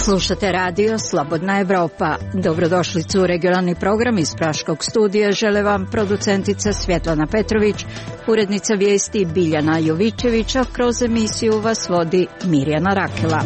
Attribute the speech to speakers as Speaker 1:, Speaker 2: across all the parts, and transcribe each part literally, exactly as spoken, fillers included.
Speaker 1: Slušate radio Slobodna Evropa. Dobrodošlicu u regionalni program iz Praškog studija. Žele vam producentica Svjetlana Petrović, urednica vijesti Biljana Jovićević, a kroz emisiju vas vodi Mirjana Rakela.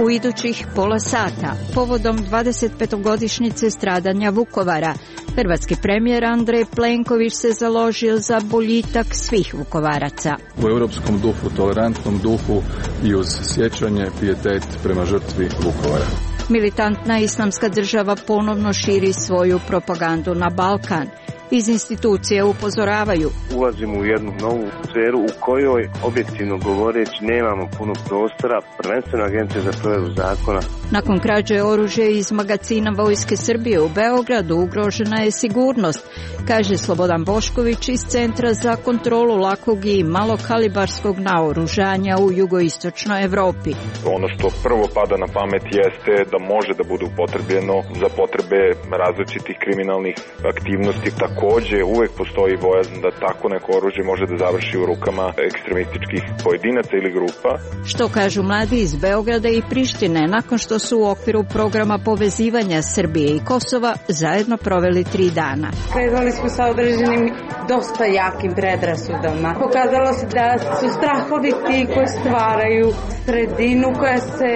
Speaker 1: U idućih pola sata, povodom dvadesetpetogodišnjice stradanja Vukovara, hrvatski premijer Andrej Plenković se založio za boljitak svih Vukovaraca.
Speaker 2: U europskom duhu, tolerantnom duhu i uz sjećanje, pijetet prema žrtvi Vukovara.
Speaker 1: Militantna islamska država ponovno širi svoju propagandu na Balkan. Iz institucije upozoravaju.
Speaker 3: Ulazimo u jednu novu sferu u kojoj, objektivno govoreći, nemamo puno prostora, prvenstveno Agencija za provedbu zakona.
Speaker 1: Nakon krađe oružja iz magacina Vojske Srbije u Beogradu ugrožena je sigurnost, kaže Slobodan Bošković iz Centra za kontrolu lakog i malokalibarskog naoružanja u jugoistočnoj Evropi.
Speaker 4: Ono što prvo pada na pamet jeste da može da bude upotrebljeno za potrebe različitih kriminalnih aktivnosti. Takođe, uvek postoji bojazan da tako neko oružje može da završi u rukama ekstremističkih pojedinaca ili grupa.
Speaker 1: Što kažu mladi iz Beograda i Prištine nakon što su u okviru programa povezivanja Srbije i Kosova zajedno proveli tri dana.
Speaker 5: Krenuli smo sa određenim dosta jakim predrasudama. Pokazalo se da su strahovi ti koji stvaraju sredinu koja se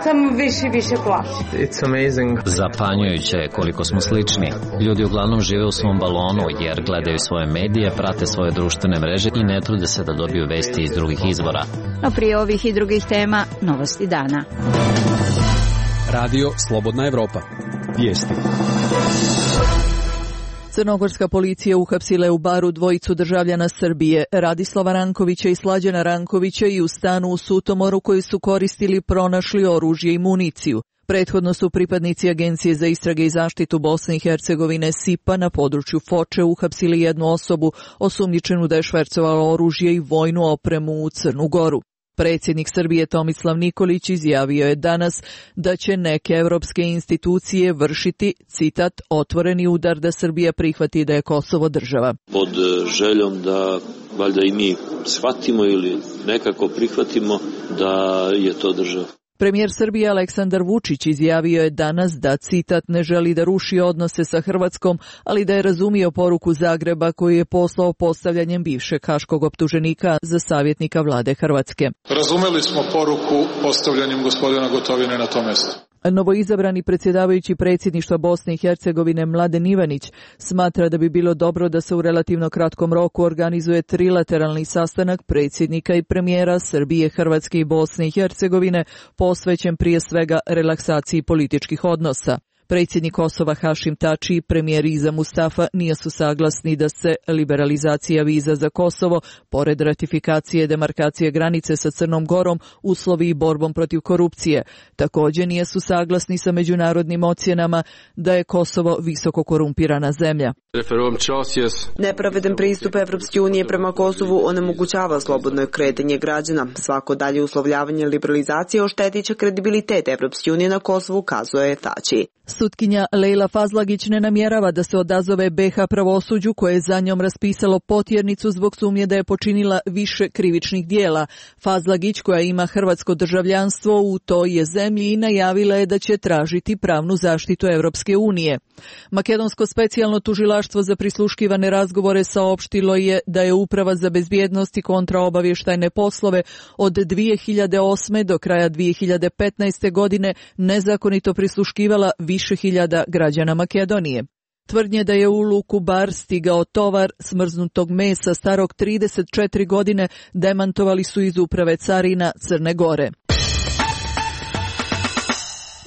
Speaker 5: samo više i više plaši.
Speaker 6: It's amazing.
Speaker 7: Zapanjujuće je koliko smo slični. Ljudi uglavnom žive u svom balonu jer gledaju svoje medije, prate svoje društvene mreže i ne trude se da dobiju vesti iz drugih izvora.
Speaker 1: No prije ovih i drugih tema, novosti dana.
Speaker 8: Radio Slobodna Evropa. Vijesti.
Speaker 9: Crnogorska policija uhapsila je u Baru dvojicu državljana Srbije, Radislava Rankovića i Slađana Rankovića, i u stanu u Sutomoru koji su koristili pronašli oružje i municiju. Prethodno su pripadnici Agencije za istrage i zaštitu Bosne i Hercegovine S I P A na području Foče uhapsili jednu osobu osumnjičenu da je švercovala oružje i vojnu opremu u Crnu Goru. Predsjednik Srbije Tomislav Nikolić izjavio je danas da će neke evropske institucije vršiti, citat, otvoreni udar da Srbija prihvati da je Kosovo država.
Speaker 10: Pod željom da valjda i mi shvatimo ili nekako prihvatimo da je to država.
Speaker 9: Premijer Srbije Aleksandar Vučić izjavio je danas da, citat, ne želi da ruši odnose sa Hrvatskom, ali da je razumio poruku Zagreba koju je poslao postavljanjem bivšeg haškog optuženika za savjetnika vlade Hrvatske.
Speaker 11: Razumeli smo poruku postavljanjem gospodina Gotovine na to mjesto.
Speaker 9: Novoizabrani predsjedavajući predsjedništva Bosne i Hercegovine Mladen Ivanić smatra da bi bilo dobro da se u relativno kratkom roku organizuje trilateralni sastanak predsjednika i premijera Srbije, Hrvatske i Bosne i Hercegovine posvećen prije svega relaksaciji političkih odnosa. Predsjednik Kosova Hašim Tači i premijer Iza Mustafa nisu saglasni da se liberalizacija viza za Kosovo, pored ratifikacije demarkacije granice sa Crnom Gorom, uslovi i borbom protiv korupcije. Također nisu saglasni sa međunarodnim ocjenama da je Kosovo visoko korumpirana zemlja.
Speaker 12: Nepravedan pristup Evropske unije prema Kosovu onemogućava slobodno kretanje građana. Svako dalje uslovljavanje liberalizacije oštetit će kredibilitet Evropske unije na Kosovu, kazuje Tači.
Speaker 9: Sutkinja Lejla Fazlagić ne namjerava da se odazove B H pravosuđu koje je za njom raspisalo potjernicu zbog sumnje da je počinila više krivičnih dijela. Fazlagić, koja ima hrvatsko državljanstvo u toj je zemlji, i najavila je da će tražiti pravnu zaštitu Evropske unije. Makedonsko specijalno tužilaštvo za prisluškivane razgovore saopštilo je da je Uprava za bezbjednost i kontraobavještajne poslove od dvije hiljade osme do kraja dvije hiljade petnaeste godine nezakonito prisluškivala više hiljada građana Makedonije. Tvrdnje da je u luku Bar stigao tovar smrznutog mesa starog trideset četiri godine demantovali su iz Uprave carina Crne Gore.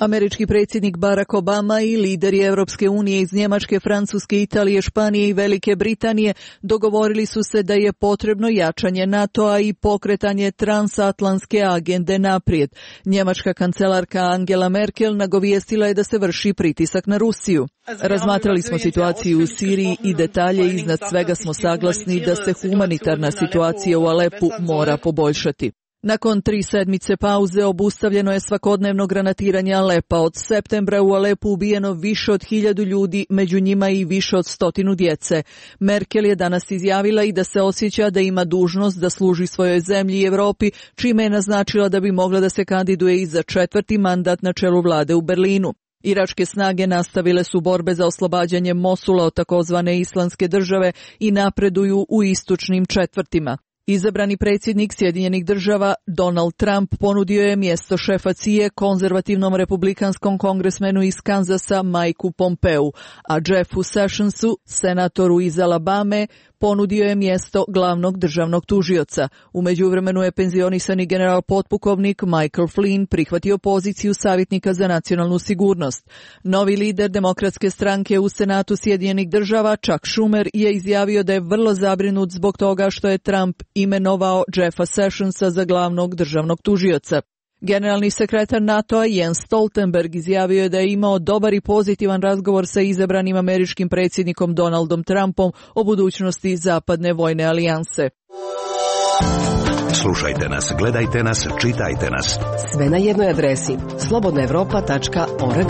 Speaker 9: Američki predsjednik Barack Obama i lideri Evropske unije iz Njemačke, Francuske, Italije, Španije i Velike Britanije dogovorili su se da je potrebno jačanje NATO-a i pokretanje transatlantske agende naprijed. Njemačka kancelarka Angela Merkel nagovijestila je da se vrši pritisak na Rusiju. Razmatrali smo situaciju u Siriji i detalje, iznad svega smo saglasni da se humanitarna situacija u Alepu mora poboljšati. Nakon tri sedmice pauze obustavljeno je svakodnevno granatiranje Alepa. Od septembra u Alepu ubijeno više od hiljadu ljudi, među njima i više od stotinu djece. Merkel je danas izjavila i da se osjeća da ima dužnost da služi svojoj zemlji i Evropi, čime je naznačila da bi mogla da se kandiduje i za četvrti mandat na čelu vlade u Berlinu. Iračke snage nastavile su borbe za oslobađanje Mosula od takozvane islamske države i napreduju u istočnim četvrtima. Izabrani predsjednik Sjedinjenih država Donald Trump ponudio je mjesto šefa C I A konzervativnom republikanskom kongresmenu iz Kanzasa Mikeu Pompeu, a Jeffu Sessionsu, senatoru iz Alabame, ponudio je mjesto glavnog državnog tužioca. U međuvremenu je penzionisani general potpukovnik Michael Flynn prihvatio poziciju savjetnika za nacionalnu sigurnost. Novi lider demokratske stranke u Senatu Sjedinjenih država, Chuck Schumer, je izjavio da je vrlo zabrinut zbog toga što je Trump imenovao Jeffa Sessionsa za glavnog državnog tužioca. Generalni sekretar NATO-a Jens Stoltenberg izjavio je da je imao dobar i pozitivan razgovor sa izabranim američkim predsjednikom Donaldom Trumpom o budućnosti zapadne vojne alijanse.
Speaker 6: Slušajte nas, gledajte nas, čitajte nas.
Speaker 13: Sve na jednoj adresi slobodna evropa tačka org.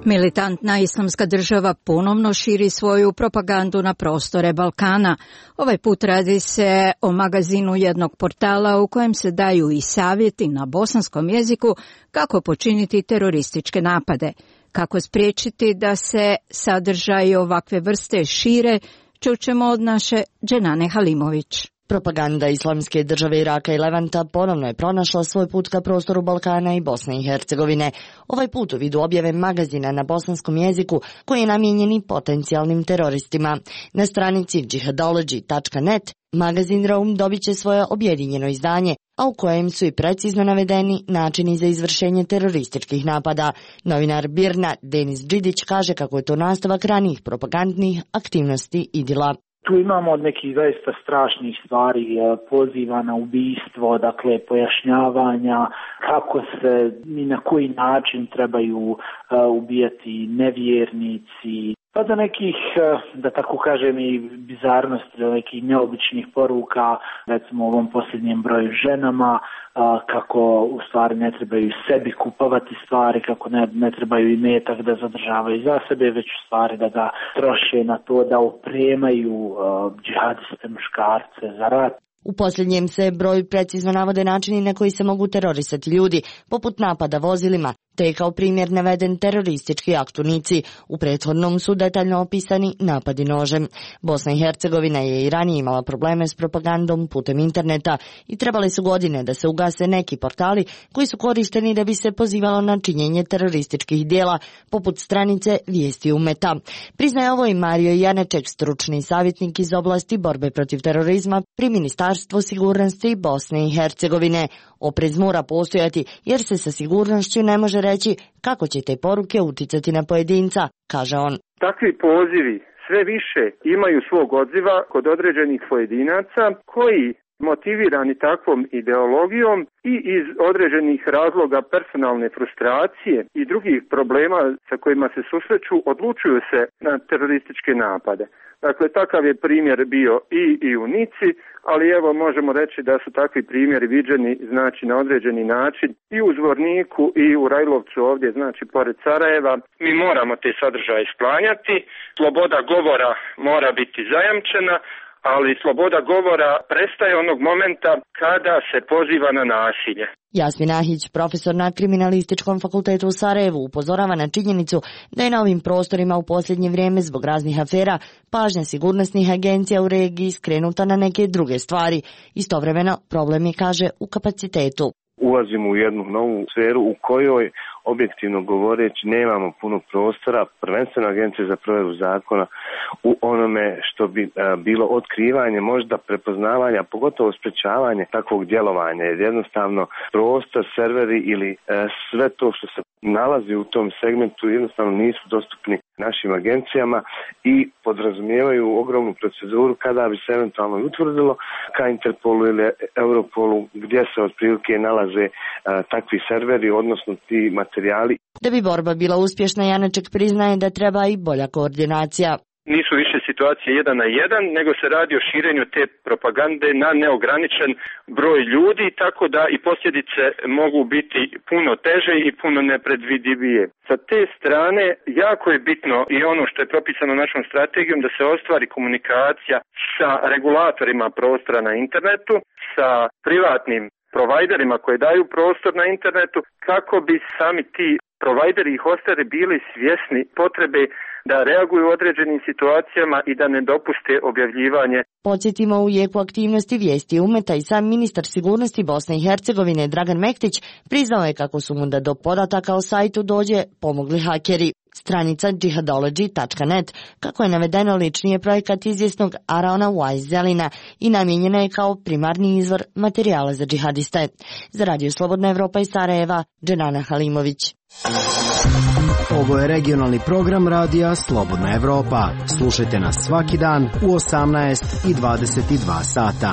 Speaker 1: Militantna islamska država ponovno širi svoju propagandu na prostore Balkana. Ovaj put radi se o magazinu jednog portala u kojem se daju i savjeti na bosanskom jeziku kako počiniti terorističke napade. Kako spriječiti da se sadržaji ovakve vrste šire, čućemo od naše Dženane Halimović.
Speaker 14: Propaganda islamske države Iraka i Levanta ponovno je pronašla svoj put ka prostoru Balkana i Bosne i Hercegovine. Ovaj put u vidu objave magazina na bosanskom jeziku koji je namijenjen i potencijalnim teroristima. Na stranici jihadology tačka net magazin Rome dobit će svoje objedinjeno izdanje, a u kojem su i precizno navedeni načini za izvršenje terorističkih napada. Novinar Birna Denis Đidić kaže kako je to nastavak ranijih propagandnih aktivnosti IDIL-a.
Speaker 15: Tu imamo od nekih zaista strašnih stvari, poziva na ubistvo, dakle pojašnjavanja kako se i na koji način trebaju ubijati nevjernici, pa do nekih, da tako kažem, i bizarnosti, do nekih neobičnih poruka, recimo u ovom posljednjem broju ženama, kako u stvari ne trebaju sebi kupovati stvari, kako ne, ne trebaju i metak da zadržavaju za sebe, već u stvari da ga troše na to da opremaju uh, džihadiste muškarce za rat.
Speaker 14: U posljednjem se broju precizno navode načini na koji se mogu terorisati ljudi, poput napada vozilima, te je kao primjer naveden teroristički akt u Nici. U prethodnom su detaljno opisani napadi nožem. Bosna i Hercegovina je i ranije imala probleme s propagandom putem interneta i trebali su godine da se ugase neki portali koji su korišteni da bi se pozivalo na činjenje terorističkih dijela, poput stranice Vijesti Umeta. Priznaje ovo i Mario Janeček, stručni savjetnik iz oblasti borbe protiv terorizma pri Ministarstvu sigurnosti Bosne i Hercegovine. Oprez mora postojati jer se sa sigurnošću ne može reći kako će te poruke uticati na pojedinca, kaže on.
Speaker 16: Takvi pozivi sve više imaju svog odziva kod određenih pojedinaca koji, motivirani takvom ideologijom i iz određenih razloga personalne frustracije i drugih problema sa kojima se susreću, odlučuju se na terorističke napade. Dakle, takav je primjer bio i, i u Nici, ali evo možemo reći da su takvi primjeri viđeni znači na određeni način i u Zvorniku i u Rajlovcu ovdje, znači pored Sarajeva. Mi moramo te sadržaje sklanjati, sloboda govora mora biti zajamčena, ali sloboda govora prestaje onog momenta kada se poziva na nasilje.
Speaker 14: Jasmin Ahić, profesor na Kriminalističkom fakultetu u Sarajevu, upozorava na činjenicu da je na ovim prostorima u posljednje vrijeme zbog raznih afera pažnja sigurnosnih agencija u regiji skrenuta na neke druge stvari. Istovremeno, problem je, kaže, u kapacitetu.
Speaker 3: Ulazimo u jednu novu sferu u kojoj, objektivno govoreći, nemamo puno prostora, prvenstveno Agencije za provedbu zakona, u onome što bi a, bilo otkrivanje, možda prepoznavanja, pogotovo sprečavanje takvog djelovanja, jer jednostavno prostor, serveri ili a, sve to što se nalazi u tom segmentu jednostavno nisu dostupni našim agencijama i podrazumijevaju ogromnu proceduru kada bi se eventualno utvrdilo ka Interpolu ili Europolu gdje se otprilike nalaze a, takvi serveri, odnosno ti materijali.
Speaker 14: Da bi borba bila uspješna, Janeček priznaje da treba i bolja koordinacija.
Speaker 16: Nisu više situacije jedan na jedan, nego se radi o širenju te propagande na neograničen broj ljudi, tako da i posljedice mogu biti puno teže i puno nepredvidivije. Sa te strane jako je bitno i ono što je propisano našom strategijom da se ostvari komunikacija sa regulatorima prostora na internetu, sa privatnim provajderima koji daju prostor na internetu, kako bi sami ti provajderi i hosteri bili svjesni potrebe da reaguju u određenim situacijama i da ne dopuste objavljivanje.
Speaker 14: Podsjetimo, u jeku aktivnosti Vijesti Umeta i sam ministar sigurnosti Bosne i Hercegovine Dragan Mektić priznao je kako su mu da do podataka o sajtu dođe pomogli hakeri. Stranica jihadology tačka net, kako je navedeno, lični je projekat izvjesnog Araona Wise Zelina i namijenjena je kao primarni izvor materijala za džihadiste. Za Radio Slobodna Evropa iz Sarajeva, Dženana Halimović.
Speaker 17: Ovo je regionalni program radija Slobodna Evropa. Slušajte nas svaki dan u osamnaest i dvadeset dva sata.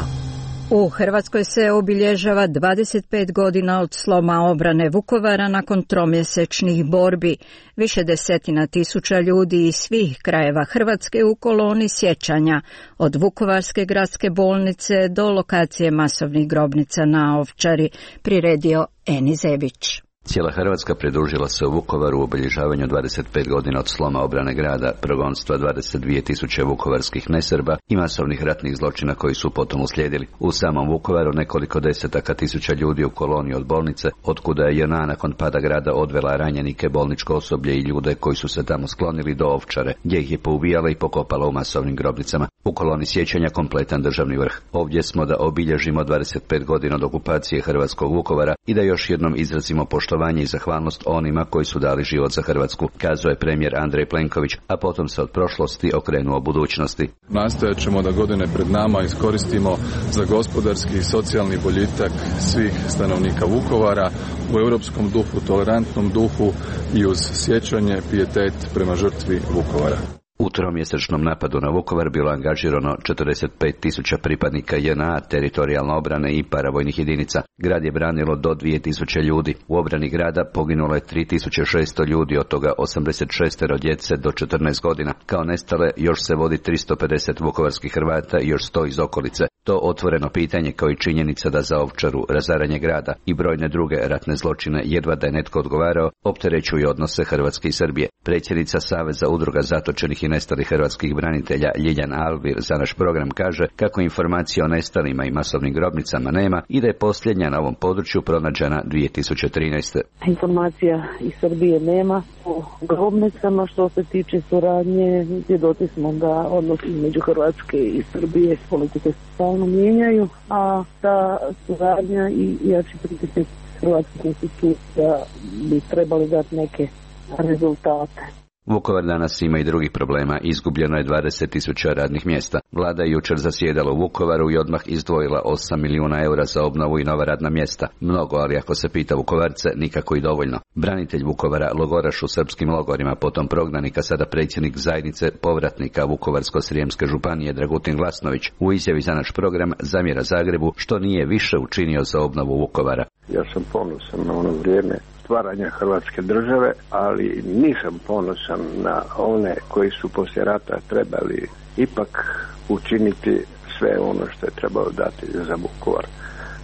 Speaker 1: U Hrvatskoj se obilježava dvadeset pet godina od sloma obrane Vukovara nakon tromjesečnih borbi. Više desetina tisuća ljudi iz svih krajeva Hrvatske u koloni sjećanja, od Vukovarske gradske bolnice do lokacije masovnih grobnica na Ovčari, priredio Eni Zebić.
Speaker 18: Cijela Hrvatska pridružila se u Vukovaru u obilježavanju dvadeset pet godina od sloma obrane grada, progonstva dvadeset dvije tisuće vukovarskih nesrba i masovnih ratnih zločina koji su potom uslijedili. U samom Vukovaru nekoliko desetaka tisuća ljudi u koloniji od bolnice, otkuda je J N A nakon pada grada odvela ranjenike, bolničko osoblje i ljude koji su se tamo sklonili do Ovčare, gdje ih je poubijala i pokopala u masovnim grobnicama. U koloni sjećanja kompletan državni vrh. Ovdje smo da obilježimo dvadeset pet godina od okupacije hrvatskog Vukovara i da još jednom izrazimo poštovanje i zahvalnost onima koji su dali život za Hrvatsku, kazao je premijer Andrej Plenković, a potom se od prošlosti okrenuo budućnosti.
Speaker 2: Nastojat ćemo da godine pred nama iskoristimo za gospodarski i socijalni boljitak svih stanovnika Vukovara u europskom duhu, tolerantnom duhu i uz sjećanje, pijetet prema žrtvi Vukovara.
Speaker 18: U tromjesečnom napadu na Vukovar bilo angažirano četrdeset pet tisuća pripadnika J N A, teritorijalne obrane i paravojnih jedinica. Grad je branilo do dvije tisuće ljudi. U obrani grada poginulo je tri tisuće šesto ljudi, od toga osamdeset šest djece do četrnaest godina. Kao nestale još se vodi tristo pedeset vukovarskih Hrvata i još sto iz okolice. To otvoreno pitanje, kao i činjenica da za Ovčaru, razaranje grada i brojne druge ratne zločine jedva da je netko odgovarao, opterećuju odnose Hrvatske i Srbije. Predsjednica Saveza udruga zatočenih i nestalih hrvatskih branitelja Ljiljana Alvir za naš program kaže kako informacije o nestalima i masovnim grobnicama nema i da je posljednja na ovom području pronađena dvije tisuće trinaeste.
Speaker 19: Informacija iz Srbije nema o grobnicama. Što se tiče suradnje, svjedoci smo da odnosi između Hrvatske i Srbije politike stalno mijenjaju, a ta suradnja i jači pritisak hrvatskih institucija bi trebali dati neke rezultate.
Speaker 18: Vukovar danas ima i drugih problema. Izgubljeno je dvadeset tisuća radnih mjesta. Vlada je jučer zasjedala u Vukovaru i odmah izdvojila osam milijuna eura za obnovu i nova radna mjesta. Mnogo, ali ako se pita Vukovarce, nikako i dovoljno. Branitelj Vukovara, logoraš u srpskim logorima, potom prognanika, sada predsjednik zajednice povratnika Vukovarsko-srijemske županije Dragutin Glasnović, u izjavi za naš program zamjera Zagrebu što nije više učinio za obnovu Vukovara.
Speaker 20: Ja sam ponosan na ono vrijeme stvaranja Hrvatske države, ali nisam ponosan na one koji su poslije rata trebali ipak učiniti sve ono što je trebalo dati za Vukovar.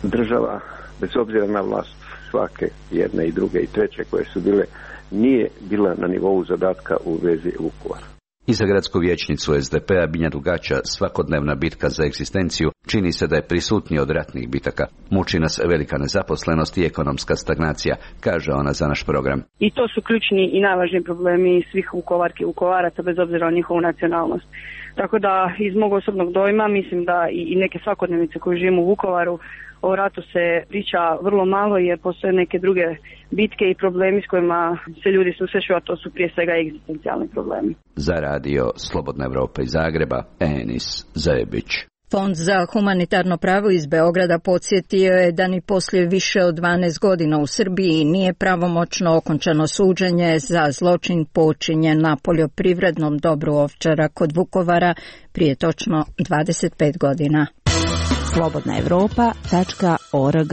Speaker 20: Država, bez obzira na vlast svake, jedne i druge i treće koje su bile, nije bila na nivou zadatka u vezi Vukovara.
Speaker 18: I za gradsku vijećnicu S D P-a Binja Dugača svakodnevna bitka za egzistenciju čini se da je prisutnija od ratnih bitaka. Muči nas velika nezaposlenost i ekonomska stagnacija, kaže ona za naš program.
Speaker 19: I to su ključni i najvažniji problemi svih Vukovarki i Vukovaraca bez obzira na njihovu nacionalnost. Tako da iz mog osobnog dojma mislim da i neke svakodnevice koje živimo u Vukovaru, o ratu se priča vrlo malo jer postoje neke druge bitke i problemi s kojima se ljudi susreću, a to su prije svega egzistencijalni problemi.
Speaker 18: Za radio Slobodna Evropa iz Zagreba, Enis Zebić.
Speaker 1: Fond za humanitarno pravo iz Beograda podsjetio je da ni poslije više od dvanaest godina u Srbiji nije pravomoćno okončano suđenje za zločin počinjen na poljoprivrednom dobru Ovčara kod Vukovara prije točno dvadeset pet godina.
Speaker 21: slobodna evropa tačka org.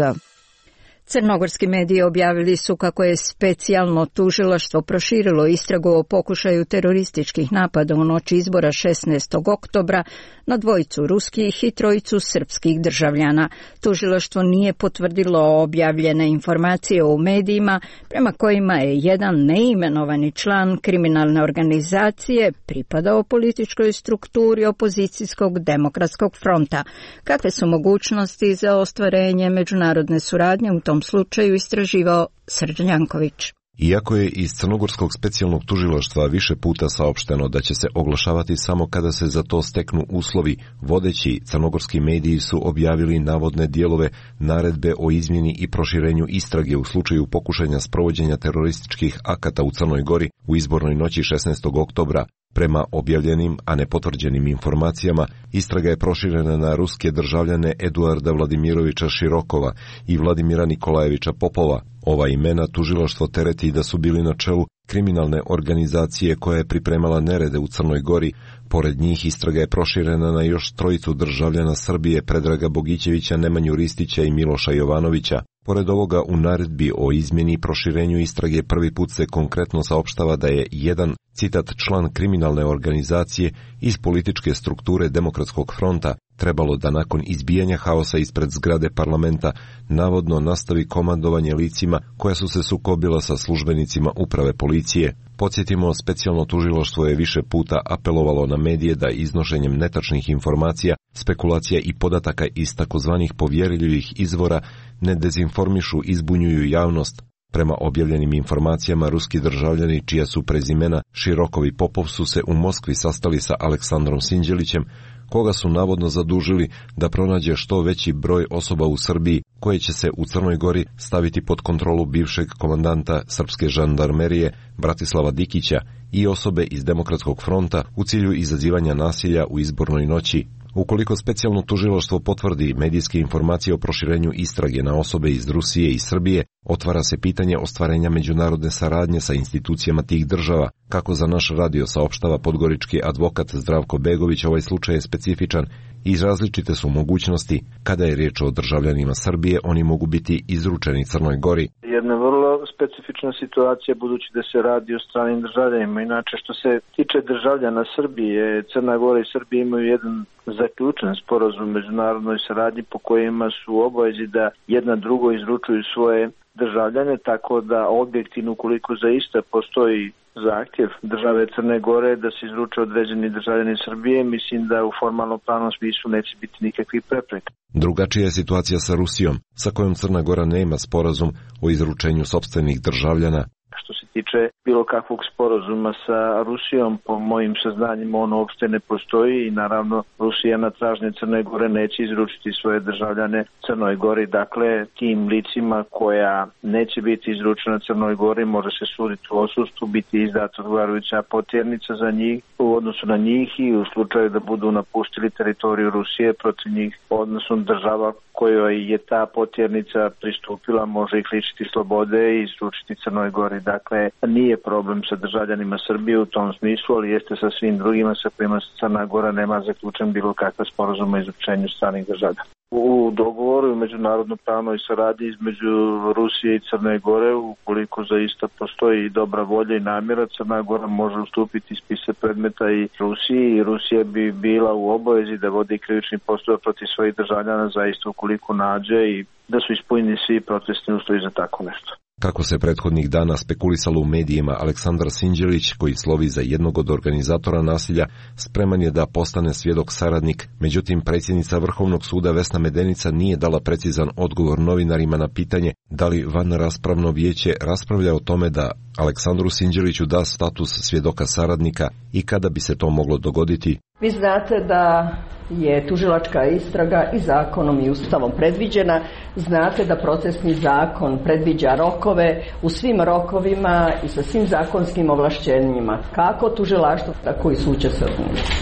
Speaker 1: Crnogorski mediji objavili su kako je specijalno tužilaštvo proširilo istragu o pokušaju terorističkih napada u noći izbora šesnaestog oktobra na dvojicu ruskih i trojicu srpskih državljana. Tužilaštvo nije potvrdilo objavljene informacije u medijima prema kojima je jedan neimenovani član kriminalne organizacije pripadao političkoj strukturi opozicijskog demokratskog fronta. Kakve su mogućnosti za ostvarenje međunarodne suradnje u tom slučaju istraživao Srđan Janković.
Speaker 21: Iako je iz Crnogorskog specijalnog tužilaštva više puta saopšteno da će se oglašavati samo kada se za to steknu uslovi, vodeći crnogorski mediji su objavili navodne dijelove naredbe o izmjeni i proširenju istrage u slučaju pokušanja sprovođenja terorističkih akata u Crnoj Gori u izbornoj noći šesnaestog oktobra. Prema objavljenim, a ne potvrđenim informacijama, istraga je proširena na ruske državljane Eduarda Vladimirovića Širokova i Vladimira Nikolajevića Popova. Ova imena tužilaštvo tereti da su bili na čelu kriminalne organizacije koja je pripremala nerede u Crnoj Gori. Pored njih istraga je proširena na još trojicu državljana Srbije, Predraga Bogićevića, Nemanju Ristića i Miloša Jovanovića. Pored ovoga, u naredbi o izmjeni i proširenju istrage prvi put se konkretno saopštava da je jedan, citat, član kriminalne organizacije iz političke strukture Demokratskog fronta trebalo da nakon izbijanja haosa ispred zgrade parlamenta navodno nastavi komandovanje licima koja su se sukobila sa službenicima uprave policije. Podsjetimo, specijalno tužilaštvo je više puta apelovalo na medije da iznošenjem netačnih informacija, spekulacija i podataka iz takozvanih povjerljivih izvora ne dezinformišu i zbunjuju javnost. Prema objavljenim informacijama, ruski državljani čija su prezimena Širokov i Popov su se u Moskvi sastali sa Aleksandrom Sinđelićem, koga su navodno zadužili da pronađe što veći broj osoba u Srbiji koje će se u Crnoj Gori staviti pod kontrolu bivšeg komandanta srpske žandarmerije Bratislava Dikića i osobe iz Demokratskog fronta u cilju izazivanja nasilja u izbornoj noći. Ukoliko specijalno tužilaštvo potvrdi medijske informacije o proširenju istrage na osobe iz Rusije i Srbije, otvara se pitanje ostvarenja međunarodne saradnje sa institucijama tih država. Kako za naš radio saopštava podgorički advokat Zdravko Begović, ovaj slučaj je specifičan i različite su mogućnosti. Kada je riječ o državljanima Srbije, oni mogu biti izručeni Crnoj Gori.
Speaker 15: Jedna vrlo specifična situacija budući da se radi o stranim državljanima. Inače, što se tiče državljana Srbije, Crna Gora i Srbija imaju jedan zaključen sporazum u međunarodnoj saradnji po kojima su obavezi da jedna drugo izručuju svoje državljane, tako da objektivno, ukoliko zaista postoji zahtjev države Crne Gore da se izruče određeni državljani Srbije, mislim da u formalno pravnom smislu neće biti nikakvih prepreka.
Speaker 21: Drugačija je situacija sa Rusijom, sa kojom Crna Gora nema sporazum o izručenju sopstvenih državljana.
Speaker 15: Što se tiče bilo kakvog sporazuma sa Rusijom, po mojim saznanjima ono uopšte ne postoji i naravno Rusija na tražnje Crne Gore neće izručiti svoje državljane Crnoj Gori. Dakle, tim licima koja neće biti izručena Crnoj Gori može se suditi u odsustvu, biti izdata odgovarajuća potjernica za njih u odnosu na njih i u slučaju da budu napustili teritoriju Rusije protiv njih, odnosno država kojoj je ta potjernica pristupila može ih lišiti slobode i izručiti Crnoj Gori. Dakle, nije problem sa državljanima Srbije u tom smislu, ali jeste sa svim drugima sa kojima Crna Gora nema zaključen bilo kakva sporazuma o izručenju stranih državljana. U dogovoru i međunarodno pravnoj saradnji između Rusije i Crne Gore, ukoliko zaista postoji dobra volja i namjera, Crna Gora može ustupiti spise predmeta i Rusiji i Rusija bi bila u obavezi da vodi krivični postupak protiv svojih državljana zaista ukoliko nađe i da su ispunjeni svi procesni uslovi za tako nešto.
Speaker 21: Kako se prethodnih dana spekulisalo u medijima, Aleksandar Sinđelić, koji slovi za jednog od organizatora nasilja, spreman je da postane svjedok saradnik. Međutim, predsjednica Vrhovnog suda Vesna Medenica nije dala precizan odgovor novinarima na pitanje da li vanraspravno vijeće raspravlja o tome da Aleksandru Sinđeliću da status svjedoka saradnika i kada bi se to moglo dogoditi.
Speaker 22: Vi znate da je tužilačka istraga i zakonom i ustavom predviđena. Znate da procesni zakon predviđa rokove u svim rokovima i sa svim zakonskim ovlašćenjima. Kako tužilaštvo, tako i sud će se odlučiti.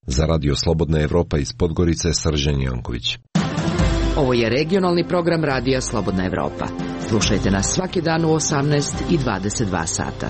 Speaker 21: Za Radio Slobodna Evropa iz Podgorice, Srđan Janković.
Speaker 13: Ovo je regionalni program Radija Slobodna Evropa. Slušajte nas svaki dan u osamnaest i dvadeset dva sata.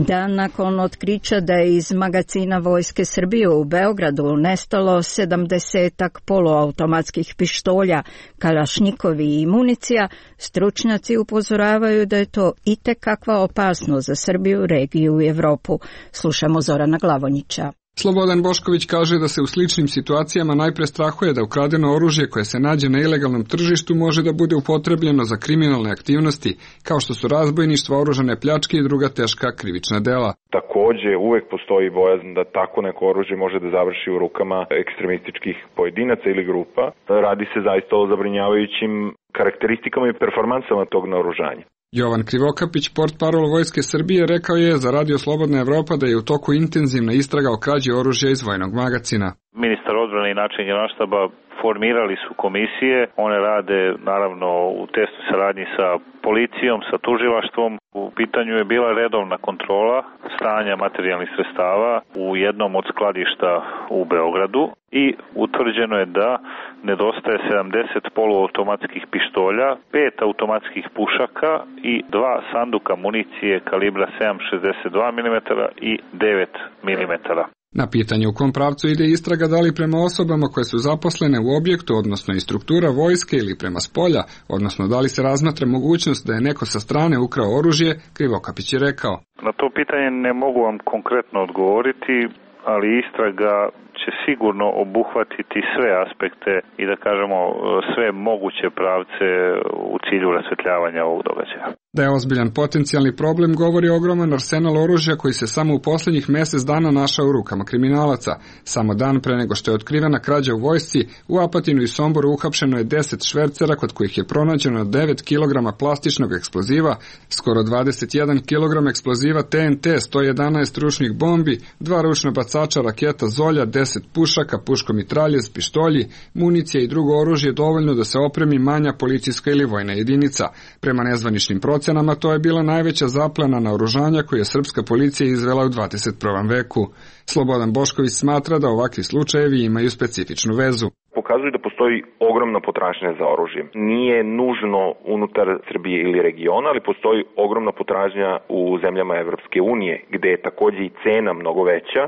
Speaker 1: Dan nakon otkrića da je iz magacina Vojske Srbije u Beogradu nestalo sedamdesetak poluautomatskih pištolja, kalašnjikovi i municija, stručnjaci upozoravaju da je to itekakva opasnost za Srbiju, regiju i Evropu. Slušamo Zorana Glavonjića.
Speaker 4: Slobodan Bošković kaže da se u sličnim situacijama najpre strahuje da ukradeno oružje koje se nađe na ilegalnom tržištu može da bude upotrebljeno za kriminalne aktivnosti, kao što su razbojništvo, oružane pljačke i druga teška krivična dela.
Speaker 5: Takođe, uvek postoji bojazan da tako neko oružje može da završi u rukama ekstremističkih pojedinaca ili grupa. Radi se zaista o zabrinjavajućim karakteristikama i performansama tog naoružanja.
Speaker 4: Jovan Krivokapić, portparol Vojske Srbije, rekao je za Radio Slobodna Evropa da je u toku intenzivna istraga o krađi oružja iz vojnog magacina.
Speaker 23: Ministar odbrane i načelnik Generalštaba formirali su komisije, one rade naravno u tesnoj saradnji sa policijom, sa tužilaštvom. U pitanju je bila redovna kontrola stanja materijalnih sredstava u jednom od skladišta u Beogradu i utvrđeno je da nedostaje sedamdeset poluautomatskih pištolja, pet automatskih pušaka i dva sanduka municije kalibra sedam zarez šezdeset dva milimetra i devet milimetara.
Speaker 4: Na pitanje u kom pravcu ide istraga, da li prema osobama koje su zaposlene u objektu, odnosno i struktura vojske, ili prema spolja, odnosno da li se razmatra mogućnost da je neko sa strane ukrao oružje, Krivokapić je rekao.
Speaker 23: Na to pitanje ne mogu vam konkretno odgovoriti, ali istraga će sigurno obuhvatiti sve aspekte i da kažemo sve moguće pravce u cilju rasvetljavanja ovog događaja.
Speaker 4: Da je ozbiljan potencijalni problem govori ogroman arsenal oružja koji se samo u posljednjih mjesec dana našao u rukama kriminalaca. Samo dan pre nego što je otkrivena krađa u vojsci, u Apatinu i Somboru uhapšeno je deset švercera kod kojih je pronađeno devet kilograma plastičnog eksploziva, skoro dvadeset jedan kilogram eksploziva T N T, sto jedanaest ručnih bombi, dva ručna bacača raketa Zolja, deset pušaka, puškomitraljez, pištolji, municija i drugo oružje dovoljno da se opremi manja policijska ili vojna jedinica. Prema nezvaničnim procenama to je bila najveća zaplena naoružanja koju je srpska policija izvela u dvadeset prvom veku. Slobodan Bošković smatra da ovakvi slučajevi imaju specifičnu vezu.
Speaker 5: Pokazuju da postoji ogromna potražnja za oružjem. Nije nužno unutar Srbije ili regiona, ali postoji ogromna potražnja u zemljama Evropske unije, gde je takođe i cena mnogo veća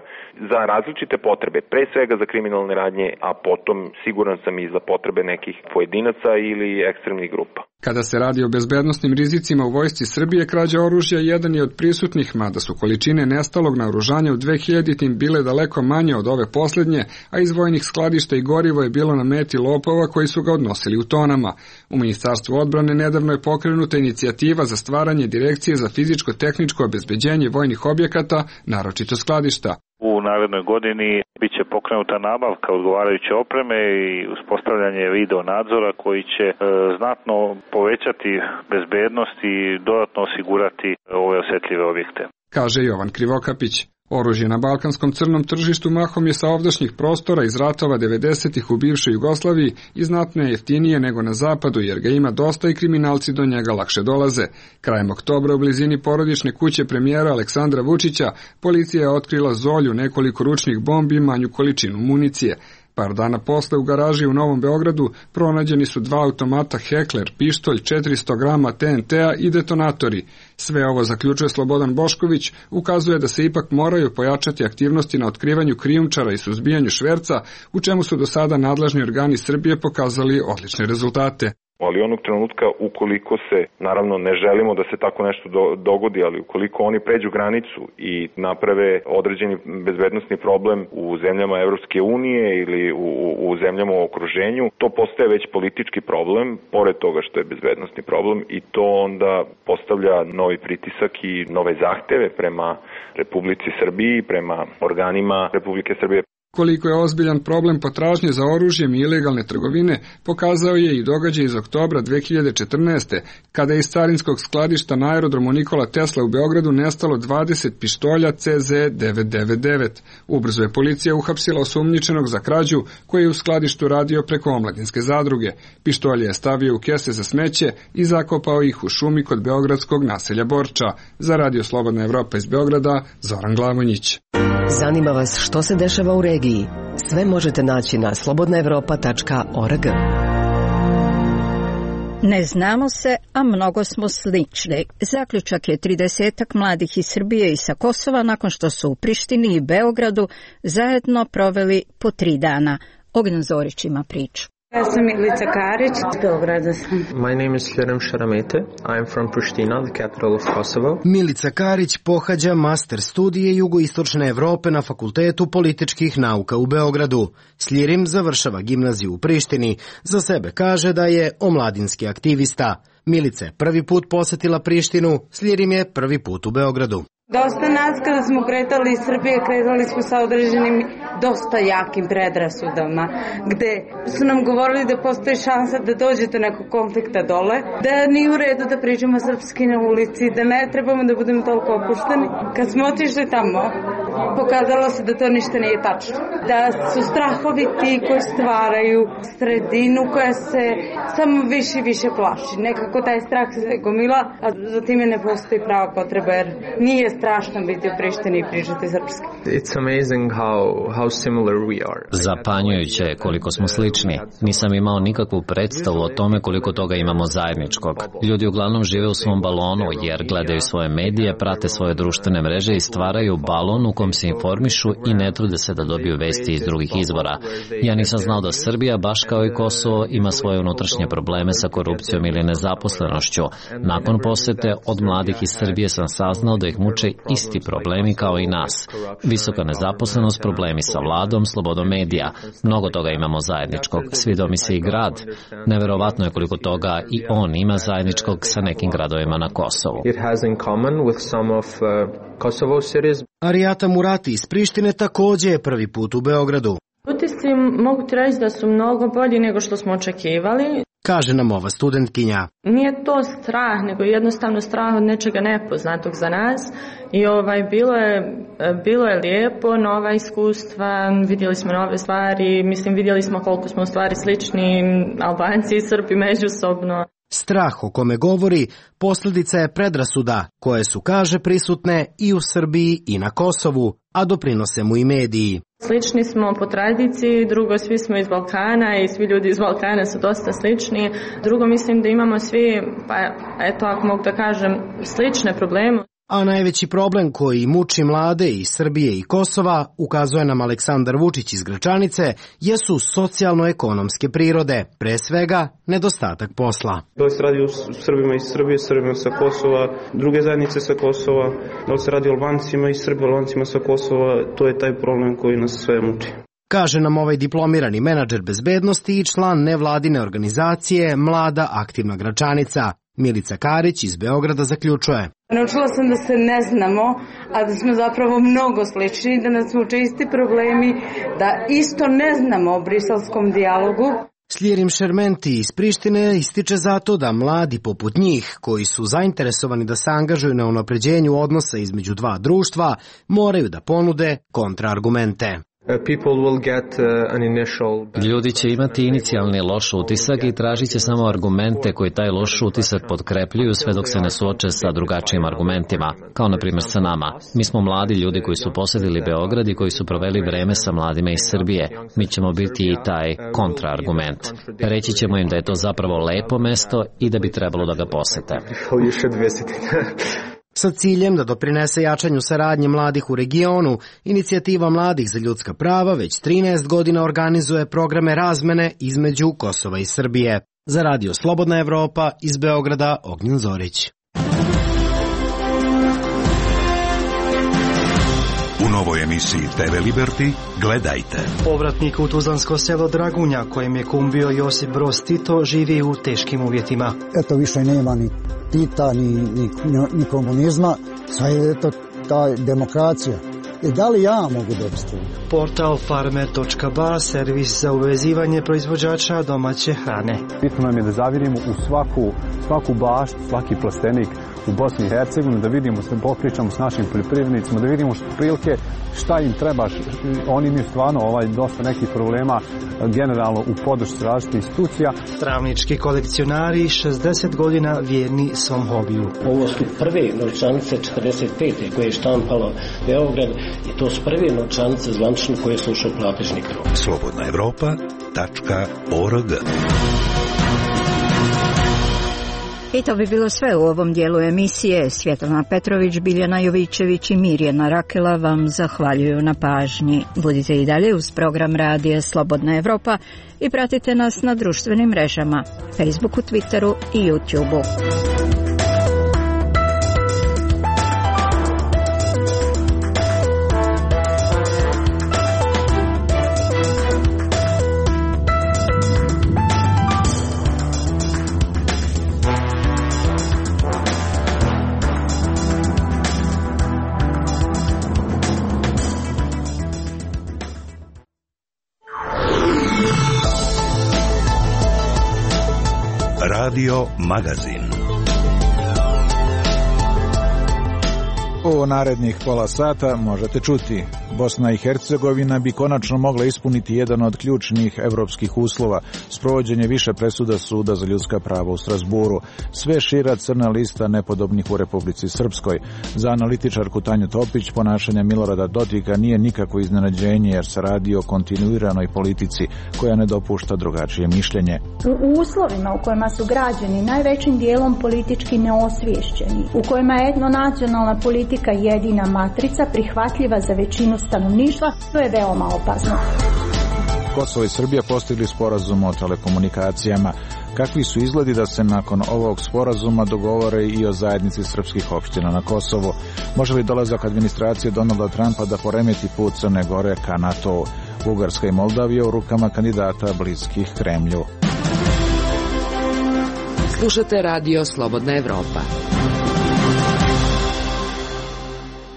Speaker 5: za različite potrebe, pre svega za kriminalne radnje, a potom siguran sam i za potrebe nekih pojedinaca ili ekstremnih grupa.
Speaker 4: Kada se radi o bezbednosnim rizicima u vojsci Srbije, krađa oružja jedan je od prisutnih, mada su količine nestalog naoružanja u dvehiljaditim bile daleko manje od ove posljednje, a iz vojnih skladišta i gorivo je bilo na meti lopova koji su ga odnosili u tonama. U Ministarstvu odbrane nedavno je pokrenuta inicijativa za stvaranje direkcije za fizičko-tehničko obezbeđenje vojnih objekata, naročito skladišta.
Speaker 23: U narednoj godini biće pokrenuta nabavka odgovarajuće opreme i uspostavljanje video nadzora koji će e, znatno povećati bezbednost i dodatno osigurati ove osjetljive objekte.
Speaker 4: Kaže Jovan Krivokapić. Oružje na balkanskom crnom tržištu mahom je sa ovdašnjih prostora iz ratova devedesetih u bivšoj Jugoslaviji i znatno je jeftinije nego na zapadu, jer ga ima dosta i kriminalci do njega lakše dolaze. Krajem oktobra u blizini porodične kuće premijera Aleksandra Vučića policija je otkrila Zolju, nekoliko ručnih bombi i manju količinu municije. Par dana posle u garaži u Novom Beogradu pronađeni su dva automata Heckler, pištolj, četiristo grama T N T-a i detonatori. Sve ovo, zaključuje Slobodan Bošković, ukazuje da se ipak moraju pojačati aktivnosti na otkrivanju krijumčara i suzbijanju šverca, u čemu su do sada nadležni organi Srbije pokazali odlične rezultate.
Speaker 5: Ali onog trenutka, ukoliko se, naravno ne želimo da se tako nešto do, dogodi, ali ukoliko oni pređu granicu i naprave određeni bezbednosni problem u zemljama Evropske unije ili u, u zemljama u okruženju, to postaje već politički problem, pored toga što je bezbednosni problem, i to onda postavlja novi pritisak i nove zahteve prema Republici Srbiji, prema organima Republike Srbije.
Speaker 4: Koliko je ozbiljan problem potražnje za oružjem i ilegalne trgovine, pokazao je i događaj iz oktobra dve hiljade četrnaeste. kada je iz carinskog skladišta na aerodromu Nikola Tesla u Beogradu nestalo dvadeset pištolja C Z devet devet devet. Ubrzo je policija uhapsila osumnjičenog za krađu koji je u skladištu radio preko omladinske zadruge. Pištolje je stavio u kese za smeće i zakopao ih u šumi kod beogradskog naselja Borča. Za Radio Slobodna Evropa iz Beograda, Zoran Glavonjić.
Speaker 13: Zanima vas što se dešava u regiji? Sve možete naći na slobodna evropa tačka org.
Speaker 1: Ne znamo se, a mnogo smo slični. Zaključak je tridesetak mladih iz Srbije i sa Kosova nakon što su u Prištini i Beogradu zajedno proveli po tri dana. Ognjen Zorić ima priču.
Speaker 7: Ja sam Milica Karić, iz Beograda sam.
Speaker 8: My name is Hjerem Šaramete. I am from Pristina, the capital of Kosovo.
Speaker 17: Milica Karić pohađa master studije jugoistočne Evrope na Fakultetu političkih nauka u Beogradu. Sljirim završava gimnaziju u Prištini. Za sebe kaže da je omladinski aktivista. Milica je prvi put posetila Prištinu, Sljirim je prvi put u Beogradu.
Speaker 7: Dosta nas kada smo kretali iz Srbije, kretali smo sa određenim dosta jakim predrasudama, gde su nam govorili da postoji šansa da dođete nekog konflikta dole, da nije u redu da pričamo srpski na ulici, da ne trebamo da budemo toliko opušteni. Kad smo otišli tamo, pokazalo se da to ništa nije tačno. Da su strahovi ti koji stvaraju sredinu koja se samo više i više plaši. Nekako taj strah se gomila, a za time ne postoji prava potreba, jer nije strašno biti u Prištini i pričati srpski.
Speaker 8: It's amazing how, how similar we are.
Speaker 10: Zapanjujuće je koliko smo slični. Nisam imao nikakvu predstavu o tome koliko toga imamo zajedničkog. Ljudi uglavnom žive u svom balonu jer gledaju svoje medije, prate svoje društvene mreže i stvaraju balon u kom se informišu i ne trude se da dobiju vesti iz drugih izvora. Ja nisam znao da Srbija, baš kao i Kosovo, ima svoje unutrašnje probleme sa korupcijom ili nezaposlenošću. Nakon posete od mladih iz Srbije sam saznao da ih muče isti problemi kao i nas. Visoka nezaposlenost, problemi sa vladom, slobodom medija. Mnogo toga imamo zajedničkog. Svidao mi se i grad. Neverovatno je koliko toga i on ima zajedničkog sa nekim gradovima na Kosovu.
Speaker 8: It has in common with some of uh, Kosovo cities.
Speaker 17: Arijata Murati iz Prištine također je prvi put u Beogradu.
Speaker 24: Utisci mogu ti reći da su mnogo bolji nego što smo očekivali.
Speaker 17: Kaže nam ova studentkinja.
Speaker 24: Nije to strah, nego jednostavno strah od nečega nepoznatog za nas. I ovaj, bilo je, bilo je lijepo, nova iskustva, vidjeli smo nove stvari, mislim vidjeli smo koliko smo u stvari slični Albanci i Srbi međusobno.
Speaker 17: Strah o kome govori posljedica je predrasuda koje su, kaže, prisutne i u Srbiji i na Kosovu, a doprinose mu i mediji.
Speaker 24: Slični smo po tradiciji, drugo svi smo iz Balkana i svi ljudi iz Balkana su dosta slični. Drugo mislim da imamo svi, pa eto ako mogu da kažem, slične probleme.
Speaker 17: A najveći problem koji muči mlade iz Srbije i Kosova, ukazuje nam Aleksandar Vučić iz Gračanice, jesu socijalno-ekonomske prirode, pre svega nedostatak posla.
Speaker 25: Da li se radi o Srbima iz Srbije, Srbima sa Kosova, druge zajednice sa Kosova, da li se radi o Albancima iz Srbije, Albancima sa Kosova, to je taj problem koji nas sve muči.
Speaker 17: Kaže nam ovaj diplomirani menadžer bezbednosti i član nevladine organizacije Mlada aktivna Gračanica. Milica Karić iz Beograda zaključuje.
Speaker 7: Naučila sam da se ne znamo, a da smo zapravo mnogo slični, da nas muče isti problemi, da isto ne znamo o briselskom dijalogu.
Speaker 17: Sljirim Šermenti iz Prištine ističe zato da mladi poput njih, koji su zainteresovani da se angažuju na unapređenju odnosa između dva društva, moraju da ponude kontraargumente.
Speaker 10: Ljudi će imati inicijalni loš utisak i tražit će samo argumente koji taj loš utisak potkrepljuju sve dok se ne suoče sa drugačijim argumentima, kao na primjer sa nama. Mi smo mladi ljudi koji su posjetili Beograd i koji su proveli vreme sa mladima iz Srbije. Mi ćemo biti i taj kontraargument. Reći ćemo im da je to zapravo lepo mesto i da bi trebalo da ga posete.
Speaker 17: Sa ciljem da doprinese jačanju saradnje mladih u regionu, Inicijativa mladih za ljudska prava već trinaest godina organizuje programe razmene između Kosova i Srbije. Za radio Slobodna Evropa iz Beograda, Ognjen Zorić.
Speaker 6: U novoj emisiji te ve Liberty gledajte.
Speaker 26: Povratnik u tuzlansko selo Dragunja, kojem je kum bio Josip Broz Tito, živi u teškim uvjetima.
Speaker 27: Eto, više nema ni Tita, ni, ni, ni komunizma, sad je eto ta demokracija. I da li ja mogu dobiti?
Speaker 26: Portal farmer točka ba, servis za uvezivanje proizvođača domaće hrane.
Speaker 28: Bitno nam je da zavirimo u svaku, svaku baštu, svaki plastenik u Bosni i Hercegovini, da vidimo, da popričamo s našim poljoprivrednicima, da vidimo što prilike, šta im treba. Oni imaju stvarno ovaj, dosta nekih problema generalno u podršci različitih institucija.
Speaker 26: Travnički kolekcionari šezdeset godina vjerni svom hobiju.
Speaker 29: Ovo su prve novčanice četrdeset pete koje je štampalo Beograd i to su prve novčanice zvanične koje su ušle u platežni krug.
Speaker 6: Slobodna Evropa tačka org
Speaker 1: I to bi bilo sve u ovom dijelu emisije. Svjetlana Petrović, Biljana Jovićević i Mirjana Rakela vam zahvaljuju na pažnji. Budite i dalje uz program radija Slobodna Evropa i pratite nas na društvenim mrežama, Facebooku, Twitteru i YouTubeu.
Speaker 6: Radio Magazin.
Speaker 2: U narednih pola sata možete čuti: Bosna i Hercegovina bi konačno mogla ispuniti jedan od ključnih evropskih uslova, sprovođenje više presuda Suda za ljudska prava u Strasburu, sve šira crna lista nepodobnih u Republici Srpskoj. Za analitičarku Tanju Topić ponašanje Milorada Dodika nije nikako iznenađenje, jer se radi o kontinuiranoj politici koja ne dopušta drugačije mišljenje.
Speaker 3: U uslovima u kojima su građani najvećim dijelom politički neosviješćeni, u kojima je etnonacionalna politika jedina matrica prihvatljiva za većinu stanovništva, to je veoma opasno.
Speaker 2: Kosovo i Srbija postigli sporazum o telekomunikacijama. Kakvi su izgledi da se nakon ovog sporazuma dogovore i o zajednici srpskih opština na Kosovu? Može li dolazak administracije Donalda Trumpa da poremeti put Crne Gore ka NATO-u? Bugarska i Moldavija u rukama kandidata bliskih Kremlju.
Speaker 13: Slušate radio Slobodna Evropa.